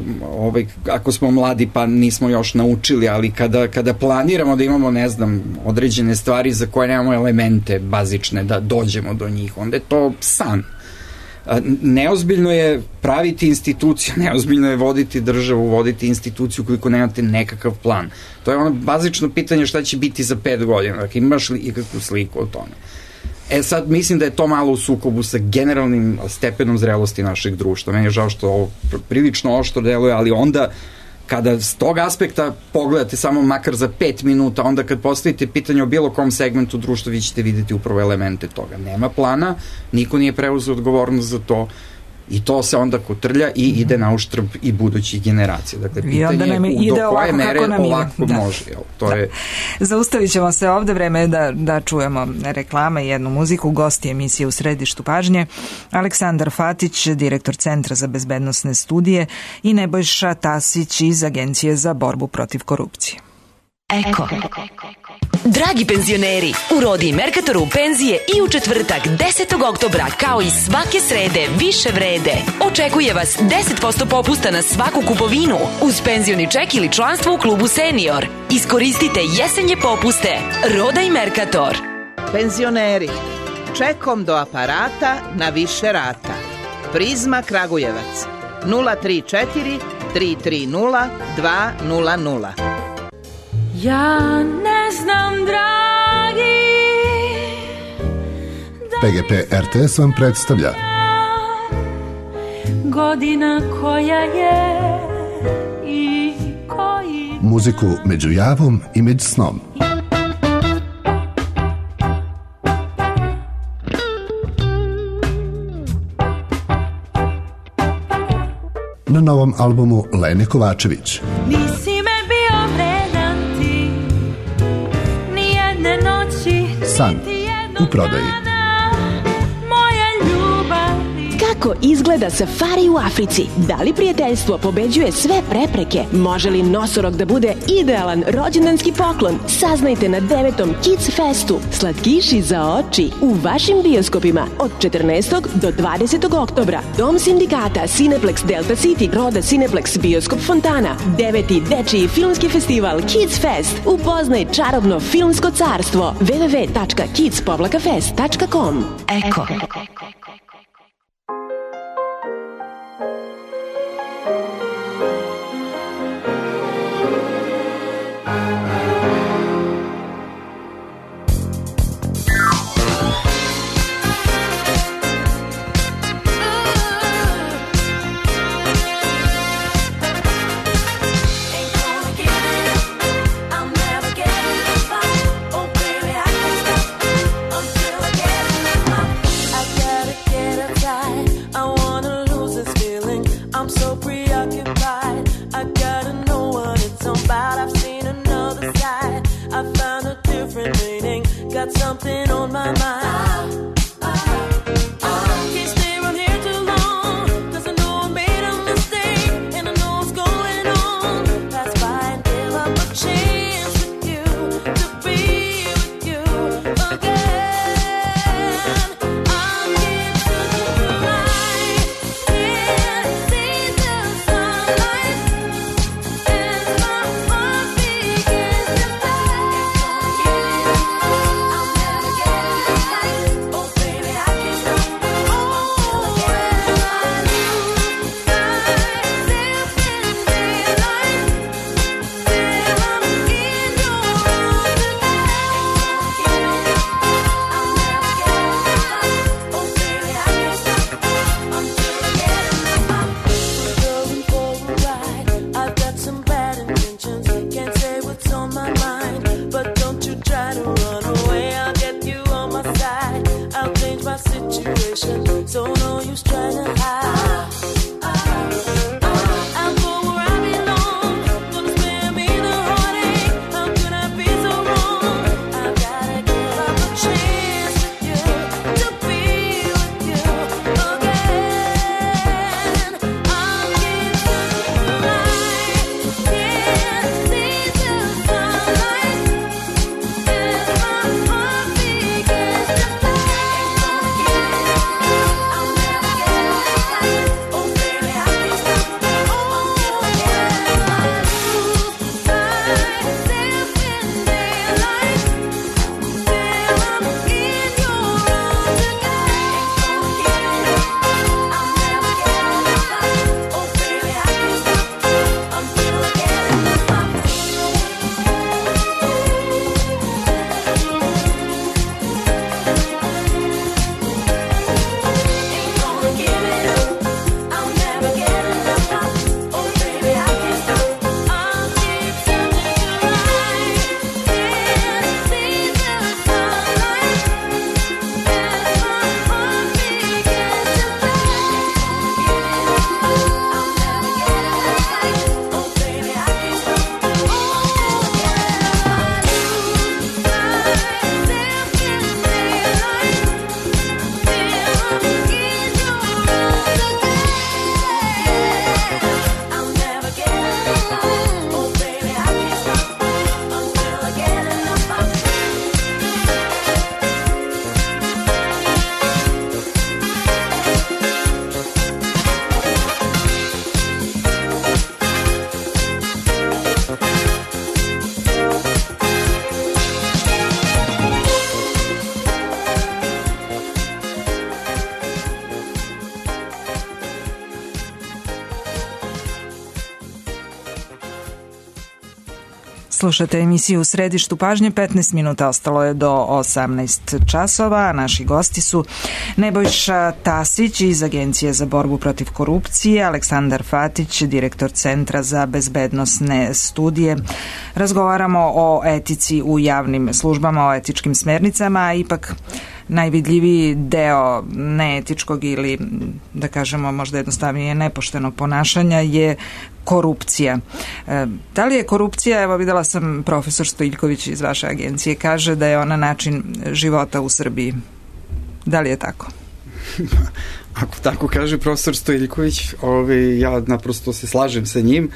ako smo mladi pa nismo još naučili, ali kada planiramo da imamo, ne znam, određene stvari za koje nemamo elemente bazične da dođemo do njih, onda je to san. Neozbiljno je praviti instituciju, neozbiljno je voditi državu, voditi instituciju koliko nemate nekakav plan. To je ono bazično pitanje šta će biti za 5 godina, dakle imaš li ikakvu sliku o tome. Sad mislim da je to malo u sukobu sa generalnim stepenom zrelosti našeg društva. Meni je žao što ovo prilično oštro deluje, ali onda kada s tog aspekta pogledate samo makar za 5 minuta, onda kad postavite pitanje o bilo kom segmentu društva, vi ćete vidjeti upravo elemente toga. Nema plana, niko nije preuzeo odgovornost za to i to se onda kotrlja i ide na uštrb i budućih generacija. Dakle, pitanje je do koje mere ovako može. Zaustavit ćemo se ovde, vreme je da čujemo reklame i jednu muziku. Gosti emisije U središtu pažnje Aleksandar Fatić, direktor Centra za bezbednosne studije, i Nebojša Tasić iz Agencije za borbu protiv korupcije. Eko. Dragi penzioneri, u Rodi i Merkatoru penzije i u četvrtak 10. oktobra kao i svake srede više vrede. Očekuje vas 10% popusta na svaku kupovinu uz penzioni ček ili članstvo u klubu Senior. Iskoristite jesenje popuste. Roda i Merkator. Penzioneri, čekom do aparata na više rata. Prizma Kragujevac 034 330 200. Ja ne znam, dragi, PGP RTS vam predstavlja godina koja je i koji muziku među javom i među snom. na novom albumu Lene Kovačević. Nisi me bio vredan ti, nijedne noći, San u prodaji. Kako izgleda safari u Africi? Da li prijateljstvo pobeđuje sve prepreke? Može li nosorog da bude idealan rođendanski poklon? Saznajte na 9. Kids Festu. Slatkiši za oči u vašim bioskopima od 14. do 20. oktobra. Dom sindikata, Cineplex Delta City, Roda Cineplex, Bioskop Fontana. 9. dečiji filmski festival Kids Fest. Upoznaj čarobno filmsko carstvo. www.kids-fest.com. Eko. Something on my mind. Can't stay around here too long, 'cause I know I made a mistake, and I know what's going on. That's why I give up a chance with you, to be with you again. I'll get to the light, can't see the sunlight, as my heart begins to so no use trying to hide. I'll go where I belong. Gonna spare me the heartache. How could I be so wrong? I've gotta give up a chance with you, to be with you again. I'll get to the light, can't see the sunlight, as my heart begins to Slušate emisiju U središtu pažnje, 15 minuta ostalo je do 18 časova, a naši gosti su Nebojša Tasić iz Agencije za borbu protiv korupcije, Aleksandar Fatić, direktor Centra za bezbednosne studije. Razgovaramo o etici u javnim službama, o etičkim smernicama, a ipak najvidljiviji deo neetičkog ili, da kažemo, možda jednostavnije nepoštenog ponašanja je korupcija. Da li je korupcija, evo videla sam profesor Stojiljković iz vaše agencije, kaže da je ona način života u Srbiji. Da li je tako? Ako tako kaže profesor Stojiljković, ja naprosto se slažem sa njim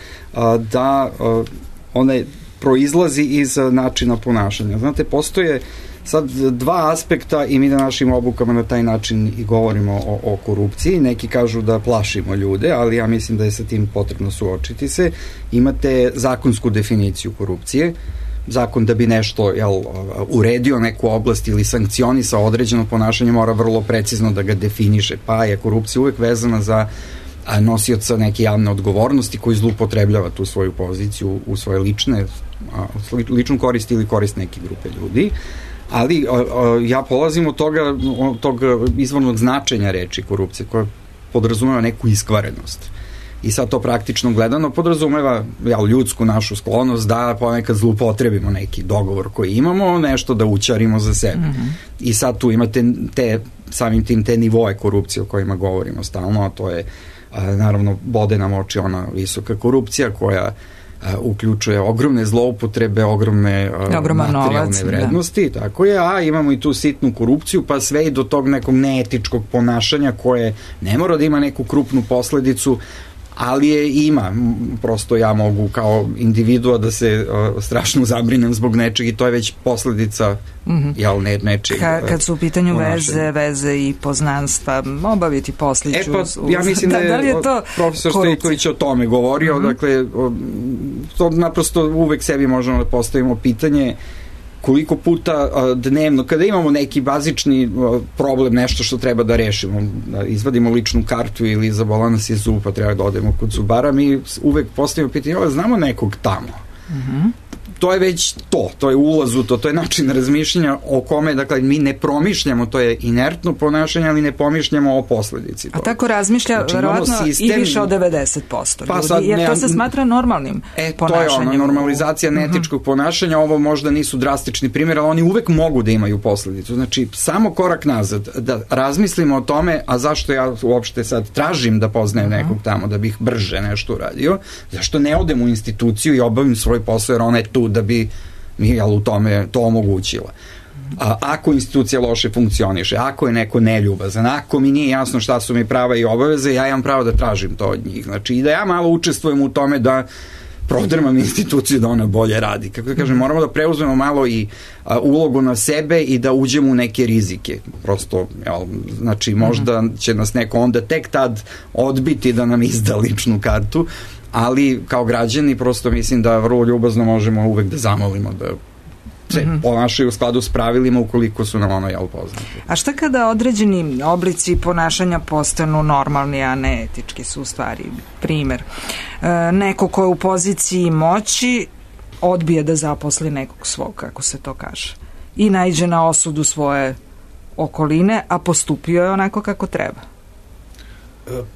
da ona proizlazi iz načina ponašanja. Znate, postoje sad dva aspekta i mi na našim obukama na taj način i govorimo o korupciji. Neki kažu da plašimo ljude, ali ja mislim da je sa tim potrebno suočiti se. Imate zakonsku definiciju korupcije. Zakon da bi nešto uredio neku oblast ili sankcionisao određeno ponašanje mora vrlo precizno da ga definiše, pa je korupcija uvek vezana za nosioca neke javne odgovornosti koji zloupotrebljava tu svoju poziciju u svoje ličnu korist ili korist neke grupe ljudi. Ali ja polazim od tog izvornog značenja reči korupcije koja podrazumeva neku iskvarenost. I sad to praktično gledano podrazumeva ljudsku našu sklonost da ponekad zloupotrebimo neki dogovor koji imamo, nešto da učarimo za sebe. I sad tu imate samim tim te nivoe korupcije o kojima govorimo stalno, a to je naravno bode nam oči ona visoka korupcija koja uključuje ogromne zloupotrebe, ogromne materijalne vrednosti, tako je, a imamo i tu sitnu korupciju, pa sve i do tog nekog neetičkog ponašanja koje ne mora da ima neku krupnu posledicu, ali je ima. Prosto ja mogu kao individua da se strašno zabrinem zbog nečeg i to je već posledica nečeg. Kad su u pitanju veze i poznanstva, obaviti posliću. Ja mislim da je profesor Stojiljković o tome govorio, dakle, to naprosto uvek sebi možemo da postavimo pitanje koliko puta dnevno, kada imamo neki bazični problem, nešto što treba da rešimo, da izvadimo ličnu kartu ili zabola nas je zub, pa treba da odemo kod zubara, mi uvek postavimo pitanje, znamo nekog tamo. To je već to je ulaz u to je način razmišljanja o kome, dakle, mi ne promišljamo, to je inertno ponašanje, ali ne pomišljamo o posledici toga. A tako razmišlja, verovatno, i više od 90% ljudi, jer to se smatra normalnim ponašanjem. To je normalizacija neetičkog ponašanja, ovo možda nisu drastični primjer, ali oni uvek mogu da imaju posledicu. Znači, samo korak nazad, da razmislimo o tome, a zašto ja uopšte sad tražim da poznajem nekog tamo, da bih brže nešto uradio, zašto ne odem u instituciju i obavim svoj posao, jer ona je tu da bi mi u tome to omogućila. Ako institucija loše funkcioniše, ako je neko neljubazan, ako mi nije jasno šta su mi prava i obaveze, ja imam pravo da tražim to od njih. Znači, i da ja malo učestvujem u tome da prodrmam instituciju da ona bolje radi. Kako da kažem, moramo da preuzmemo malo i ulogu na sebe i da uđemo u neke rizike. Prosto, znači, možda će nas neko onda tek tad odbiti da nam izda ličnu kartu, ali kao građani prosto mislim da vrlo ljubazno možemo uvek da zamolimo da se ponašaju u skladu s pravilima ukoliko su nam poznati. A šta kada određeni oblici ponašanja postanu normalni, a ne etički su u stvari? Primer, neko ko je u poziciji moći odbije da zaposli nekog svog, kako se to kaže, i naiđe na osudu svoje okoline, a postupio je onako kako treba.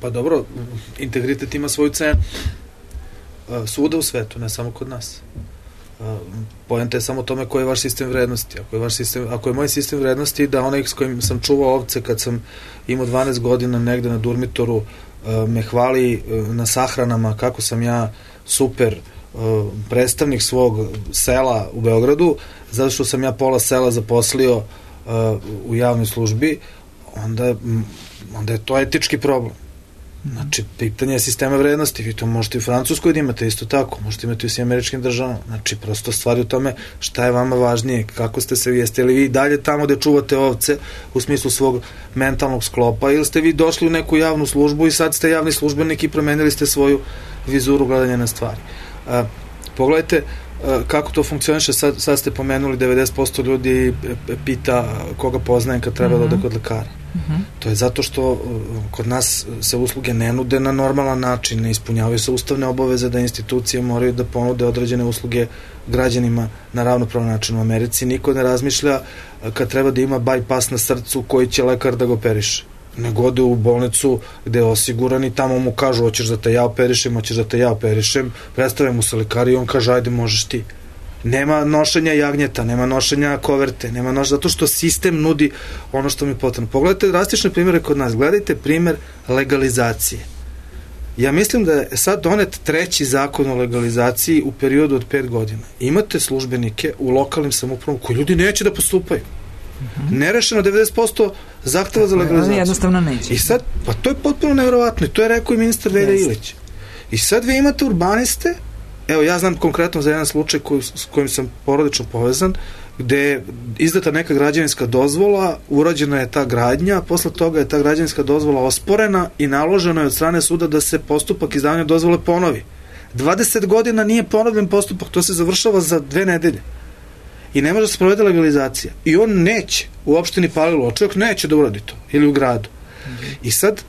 Pa dobro, integritet ima svoju cenu. Svuda u svetu, ne samo kod nas. Poenta je samo tome koji je vaš sistem vrednosti. Ako je moj sistem vrednosti da onaj s kojim sam čuvao ovce kad sam imao 12 godina negde na Durmitoru me hvali na sahranama kako sam ja super predstavnik svog sela u Beogradu, zato što sam ja pola sela zaposlio u javnoj službi, onda je to etički problem. Znači, pitanje je sistema vrednosti. Vi to možete i u Francuskoj da imate isto tako, možete imati u svim američkim državama. Znači, prosto stvari u tome šta je vama važnije, kako ste se jeste li vi dalje tamo gde čuvate ovce u smislu svog mentalnog sklopa, ili ste vi došli u neku javnu službu i sad ste javni službenik i promenili ste svoju vizuru gledanja na stvari. Pogledajte kako to funkcioniše, sad ste pomenuli 90% ljudi pita koga poznajem kad treba da ode kod lekara. To je zato što kod nas se usluge ne nude na normalan način, ne ispunjavaju se ustavne obaveze da institucije moraju da ponude određene usluge građanima na ravnopravan način. U Americi niko ne razmišlja kad treba da ima bypass na srcu koji će lekar da ga operiše, nego ode u bolnicu gde je osiguran i tamo mu kažu hoćeš da te ja operišem, predstave mu se lekar i on kaže ajde možeš ti. Nema nošenja jagnjeta, nema nošenja koverte, zato što sistem nudi ono što mi je potrebno. Pogledajte drastične primjere kod nas. Gledajte primjer legalizacije. Ja mislim da je sad donet 3. zakon o legalizaciji u periodu od 5 godina. Imate službenike u lokalnim samoupravama koji ljudi neće da postupaju. Nerešeno 90% zahteva za legalizaciju. Jednostavno neće. I sad, pa to je potpuno nevjerovatno i to je rekao i ministar Velja Ilić. I sad vi imate urbaniste, evo ja znam konkretno za jedan slučaj s kojim sam porodično povezan, gde je izdata neka građevinska dozvola, urađena je ta gradnja, posle toga je ta građevinska dozvola osporena i naloženo je od strane suda da se postupak izdavanja dozvole ponovi. 20 godina nije ponovljen postupak, to se završava za 2 nedelje. I ne može da se provede legalizacija. I on neće, u opštini Palilula, čovjek neće da uradi to, ili u gradu. I sad,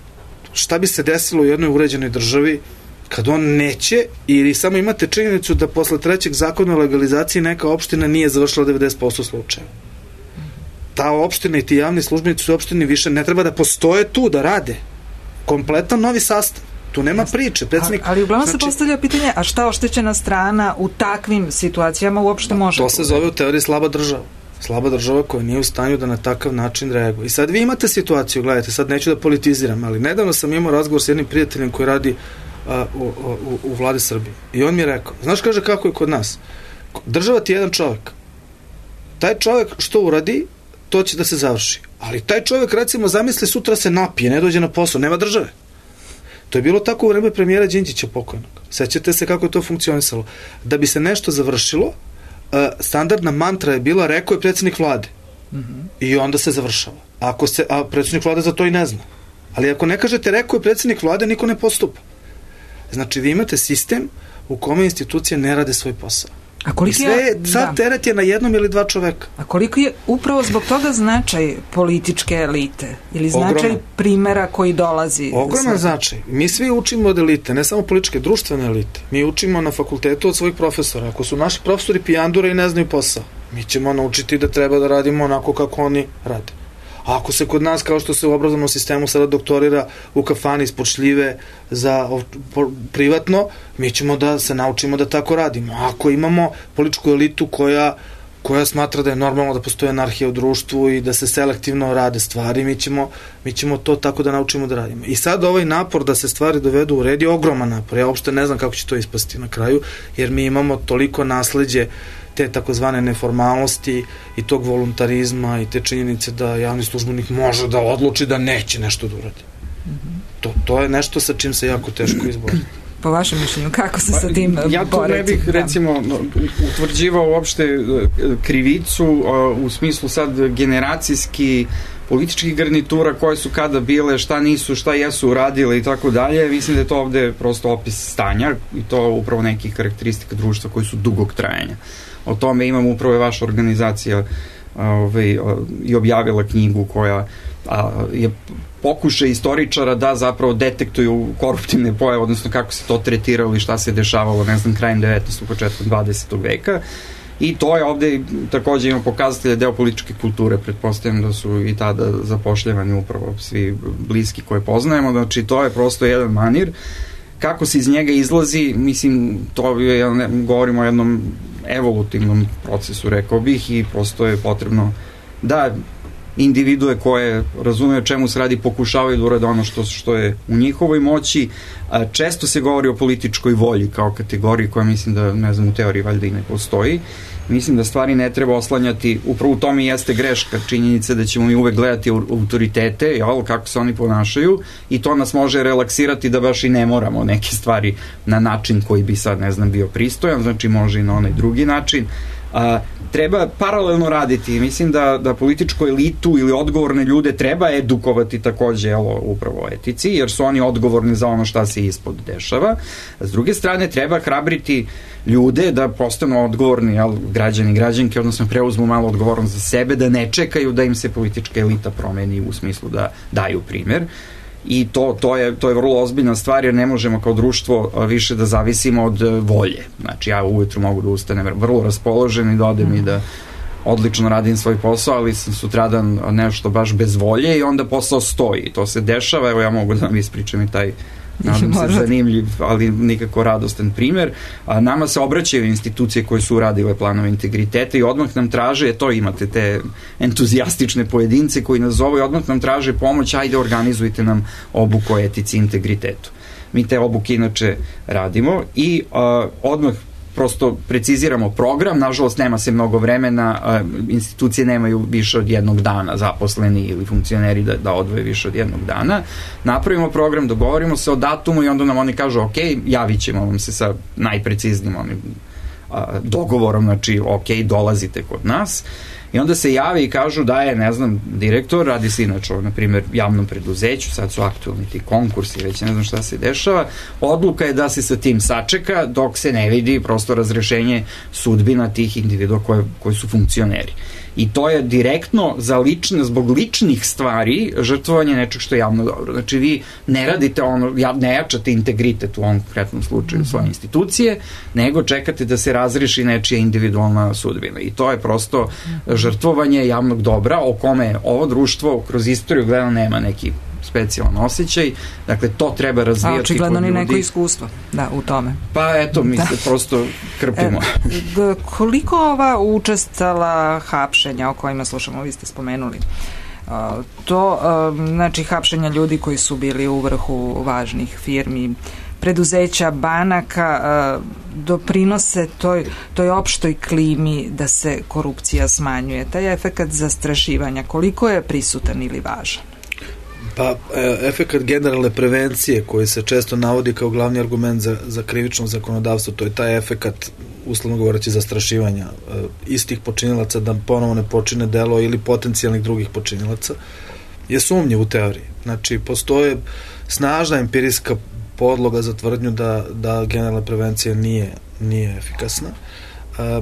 šta bi se desilo u jednoj uređenoj državi kad on neće, ili samo imate činjenicu da posle 3. zakona o legalizaciji neka opština nije završila 90% slučajeva. Ta opština i ti javni službenici u opštini više ne treba da postoje tu, da rade. Kompletan novi sastav. Tu nema priče. Ali uglavnom se postavlja pitanje, a šta oštećena strana u takvim situacijama uopšte može? To se zove u teoriji slaba država. Slaba država koja nije u stanju da na takav način reaguje. I sad vi imate situaciju, gledajte, sad neću da politiziram, ali nedavno sam imao razgovor s jednim prijateljem koji radi u vladi Srbije. I on mi je rekao, znaš, kaže, kako je kod nas? Država ti je jedan čovjek. Taj čovjek što uradi, to će da se završi. Ali taj čovjek, recimo, zamisli sutra se napije, ne dođe na posao, nema države. To je bilo tako u vreme premijera Đinđića pokojnog. Sećate se kako je to funkcionisalo. Da bi se nešto završilo, standardna mantra je bila, rekao je predsjednik vlade. I onda se završava. A predsjednik vlade za to i ne zna. Ali ako ne kažete rekao je predsjednik vlade, niko ne postupa. Znači, vi imate sistem u kome institucije ne rade svoj posao. I sve, sad teret je na jednom ili 2 čoveka. A koliko je upravo zbog toga značaj političke elite? Ili značaj primjera koji dolazi? Ogroman značaj. Mi svi učimo od elite, ne samo političke, društvene elite. Mi učimo na fakultetu od svojih profesora. Ako su naši profesori pijandure i ne znaju posao, mi ćemo naučiti da treba da radimo onako kako oni rade. A ako se kod nas, kao što se u obrazovnom sistemu sada doktorira u kafani ispod šljive za privatno, mi ćemo da se naučimo da tako radimo. A ako imamo političku elitu koja smatra da je normalno da postoje anarhija u društvu i da se selektivno rade stvari, mi ćemo to tako da naučimo da radimo. I sad ovaj napor da se stvari dovedu u red je ogroman napor. Ja uopšte ne znam kako će to ispasti na kraju, jer mi imamo toliko nasleđe te takozvane neformalnosti i tog voluntarizma i te činjenice da javni službenik može da odluči da neće nešto da uradi. To je nešto sa čim se jako teško izboriti. Po vašem mišljenju, kako se sa tim boriti? Ja to ne bih, recimo, utvrđivao uopšte krivicu u smislu sad generacijski političkih garnitura koje su kada bile, šta nisu, šta jesu uradile i tako dalje. Mislim da je to ovde prosto opis stanja i to upravo nekih karakteristika društva koji su dugog trajanja. O tome imamo upravo je vaša organizacija i objavila knjigu koja je pokušaj istoričara da zapravo detektuju koruptivne pojave, odnosno kako se to tretiralo i šta se dešavalo, ne znam, krajem 19. početkom 20. veka. I to je ovde takođe ima pokazatelje deo političke kulture, pretpostavljam da su i tada zapošljavani upravo svi bliski koje poznajemo, znači to je prosto jedan manir. Kako se iz njega izlazi, mislim, to je, govorimo o jednom evolutivnom procesu, rekao bih, i prosto je potrebno da individue koje razumeju čemu se radi pokušavaju da urade ono što je u njihovoj moći. Često se govori o političkoj volji kao kategoriji koja mislim da, ne znam, u teoriji valjda i ne postoji. Mislim da stvari ne treba oslanjati, upravo u tome jeste greška, činjenica da ćemo mi uvek gledati autoritete, kako se oni ponašaju, i to nas može relaksirati da baš i ne moramo neke stvari na način koji bi sad, ne znam, bio pristojan, znači može i na onaj drugi način. Treba paralelno raditi. Mislim da političku elitu ili odgovorne ljude treba edukovati takođe upravo o etici, jer su oni odgovorni za ono šta se ispod dešava. S druge strane, treba hrabriti ljude da postanu odgovorni građani i građanke, odnosno preuzmu malo odgovornost za sebe, da ne čekaju da im se politička elita promeni u smislu da daju primer. I to je vrlo ozbiljna stvar, jer ne možemo kao društvo više da zavisimo od volje. Znači, ja ujutru mogu da ustanem vrlo raspoložen i da odem i da odlično radim svoj posao, ali sam sutradan nešto baš bez volje i onda posao stoji. To se dešava, evo ja mogu da vam ispričam i taj nadam se zanimljiv, ali nikako radostan primer. Nama se obraćaju institucije koje su uradile planove integriteta i odmah nam traže, to imate te entuzijastične pojedince koji nas zovu i odmah nam traže pomoć, ajde organizujte nam obuku o etici i integritetu. Mi te obuke inače radimo i odmah prosto preciziramo program, nažalost nema se mnogo vremena, institucije nemaju više od jednog dana, zaposleni ili funkcioneri da odvoje više od jednog dana. Napravimo program, dogovorimo se o datumu i onda nam oni kažu ok, javit ćemo vam se sa najpreciznijim dogovorom, znači ok, dolazite kod nas. I onda se javi i kažu da je, ne znam, direktor, radi se inače o, na primjer, javnom preduzeću, sad su aktualni ti konkursi, već ne znam šta se dešava, odluka je da se sa tim sačeka dok se ne vidi prosto razrešenje sudbina tih individua koji su funkcioneri. I to je direktno zbog ličnih stvari žrtvovanje nečeg što je javno dobro. Znači vi ne radite ne jačate integritet u ovom konkretnom slučaju svoje institucije, nego čekate da se razreši nečija individualna sudbina. I to je prosto žrtvovanje javnog dobra o kome ovo društvo kroz istoriju gledano nema neki specijalan osjećaj, dakle to treba razvijati kod ljudi. A očigledno ni neko iskustvo u tome. Pa eto, mi se prosto krpimo. Koliko ova učestala hapšenja o kojima slušamo, vi ste spomenuli, to znači hapšenja ljudi koji su bili u vrhu važnih firmi, preduzeća, banaka, doprinose toj opštoj klimi da se korupcija smanjuje. Taj efekat zastrašivanja, koliko je prisutan ili važan? Pa, efekat generalne prevencije koji se često navodi kao glavni argument za krivično zakonodavstvo, to je taj efekat, uslovno govoreći, zastrašivanja istih počinilaca da ponovo ne počine delo ili potencijalnih drugih počinilaca, je sumnjiv u teoriji. Znači, postoje snažna empirijska podloga za tvrdnju da generalna prevencija nije efikasna.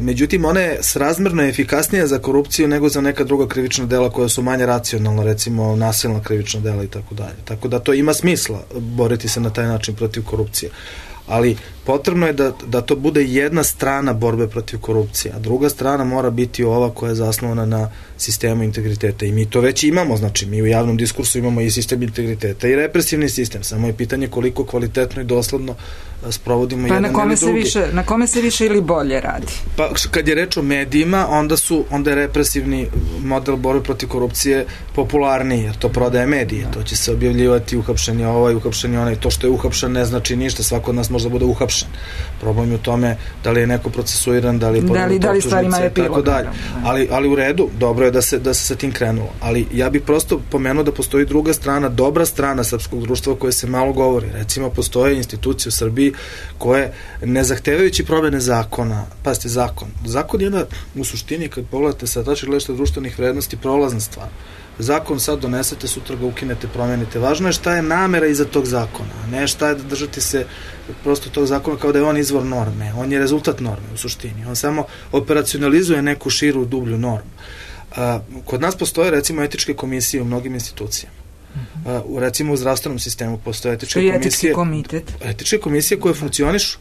Međutim, ona je srazmerno efikasnija za korupciju nego za neka druga krivična dela koja su manje racionalna, recimo nasilna krivična dela i tako dalje. Tako da to ima smisla boriti se na taj način protiv korupcije. Ali potrebno je da to bude jedna strana borbe protiv korupcije, a druga strana mora biti ova koja je zasnovana na sistemu integriteta. I mi to već imamo, znači mi u javnom diskursu imamo i sistem integriteta i represivni sistem, samo je pitanje koliko kvalitetno i dosledno sprovodimo jedan ili drugi. Na kome se više ili bolje radi? Pa kad je reč o medijima, onda je represivni model borbe protiv korupcije popularniji, jer to prodaje medije, to će se objavljivati uhapšenje ovaj, uhapšenje onaj, to što je uhapšen ne znači ništa, svako od nas može da bude uhapšen. Problem je u tome da li je neko procesuiran, da li je stvarima epilog. Ali u redu, dobro je da se sa tim krenulo. Ali ja bih prosto pomenuo da postoji druga strana, dobra strana srpskog društva o kojoj se malo govori. Recimo, postoje institucije u Srbiji koje, ne zahtevajući promene zakona, pazite, zakon je u suštini, kad pogledate sa tačke gledišta društvenih vrednosti, prolazna stvar. Zakon sad donesete, sutra ga ukinete, promenite. Važno je šta je namera iza tog zakona, ne šta je da držati se prosto tog zakona kao da je on izvor norme. On je rezultat norme u suštini. On samo operacionalizuje neku širu, dublju normu. Kod nas postoje, recimo, etičke komisije u mnogim institucijama. Recimo u zdravstvenom sistemu postoje etičke komisije koje funkcionišu,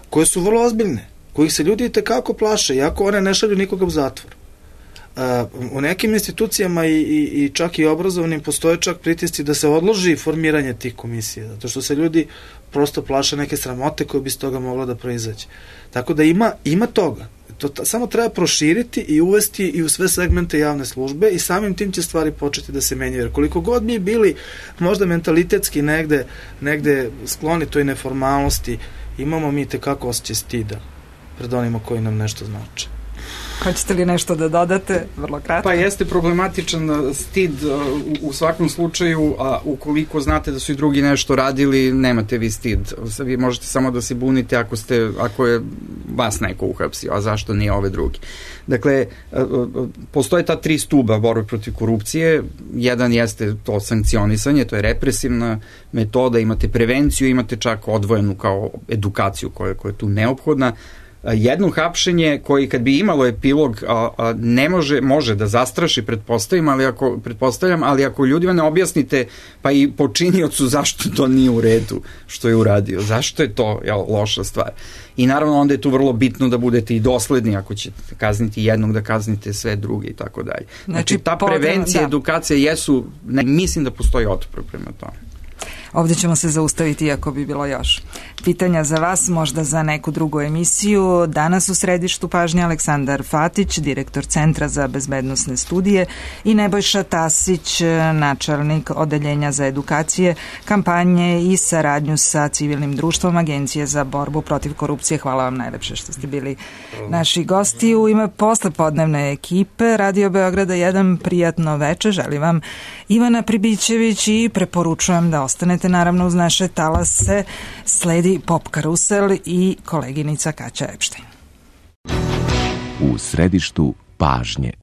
koje su vrlo ozbiljne, kojih se ljudi itekako plaše, iako one ne šalju nikoga u zatvor. U nekim institucijama i čak i obrazovnim postoje čak pritisci da se odloži formiranje tih komisija, zato što se ljudi prosto plaše neke sramote koje bi s toga moglo da proizađe. Tako da ima toga. To samo treba proširiti i uvesti i u sve segmente javne službe i samim tim će stvari početi da se menjaju. Jer koliko god mi bili možda mentalitetski negde skloni toj neformalnosti, imamo mi tekako osjećaj stida pred onima koji nam nešto znače. Hoćete li nešto da dodate? Vrlo kratko. Pa jeste problematičan stid u svakom slučaju, a ukoliko znate da su i drugi nešto radili, nemate vi stid. Vi možete samo da se bunite ako je vas neko uhapsio, a zašto nije ove drugi. Dakle, postoje ta 3 stuba borbe protiv korupcije. Jedan jeste to sankcionisanje, to je represivna metoda, imate prevenciju, imate čak odvojenu kao edukaciju koja je tu neophodna. Jedno hapšenje koji kad bi imalo epilog može da zastraši, pretpostavljam, ali ako ljudima ne objasnite pa i počiniocu zašto to nije u redu što je uradio, zašto je to loša stvar. I naravno onda je tu vrlo bitno da budete i dosledni, ako ćete kazniti jednog, da kaznite sve druge i tako dalje. Znači ta prevencija, edukacija jesu, mislim da postoji otpor prema tome. Ovdje ćemo se zaustaviti iako bi bilo još pitanja za vas, možda za neku drugu emisiju. Danas u središtu pažnje Aleksandar Fatić, direktor Centra za bezbednosne studije, i Nebojša Tasić, načelnik Odeljenja za edukacije, kampanje i saradnju sa civilnim društvom Agencije za borbu protiv korupcije. Hvala vam najlepše što ste bili naši gosti. U ime poslepodnevne ekipe Radio Beograda 1 prijatno veče želim vam Ivana Pribićević i preporučujem da ostanete naravno uz naše talase. Sledi Pop Karusel i koleginica Kaća Epštajn. U središtu pažnje.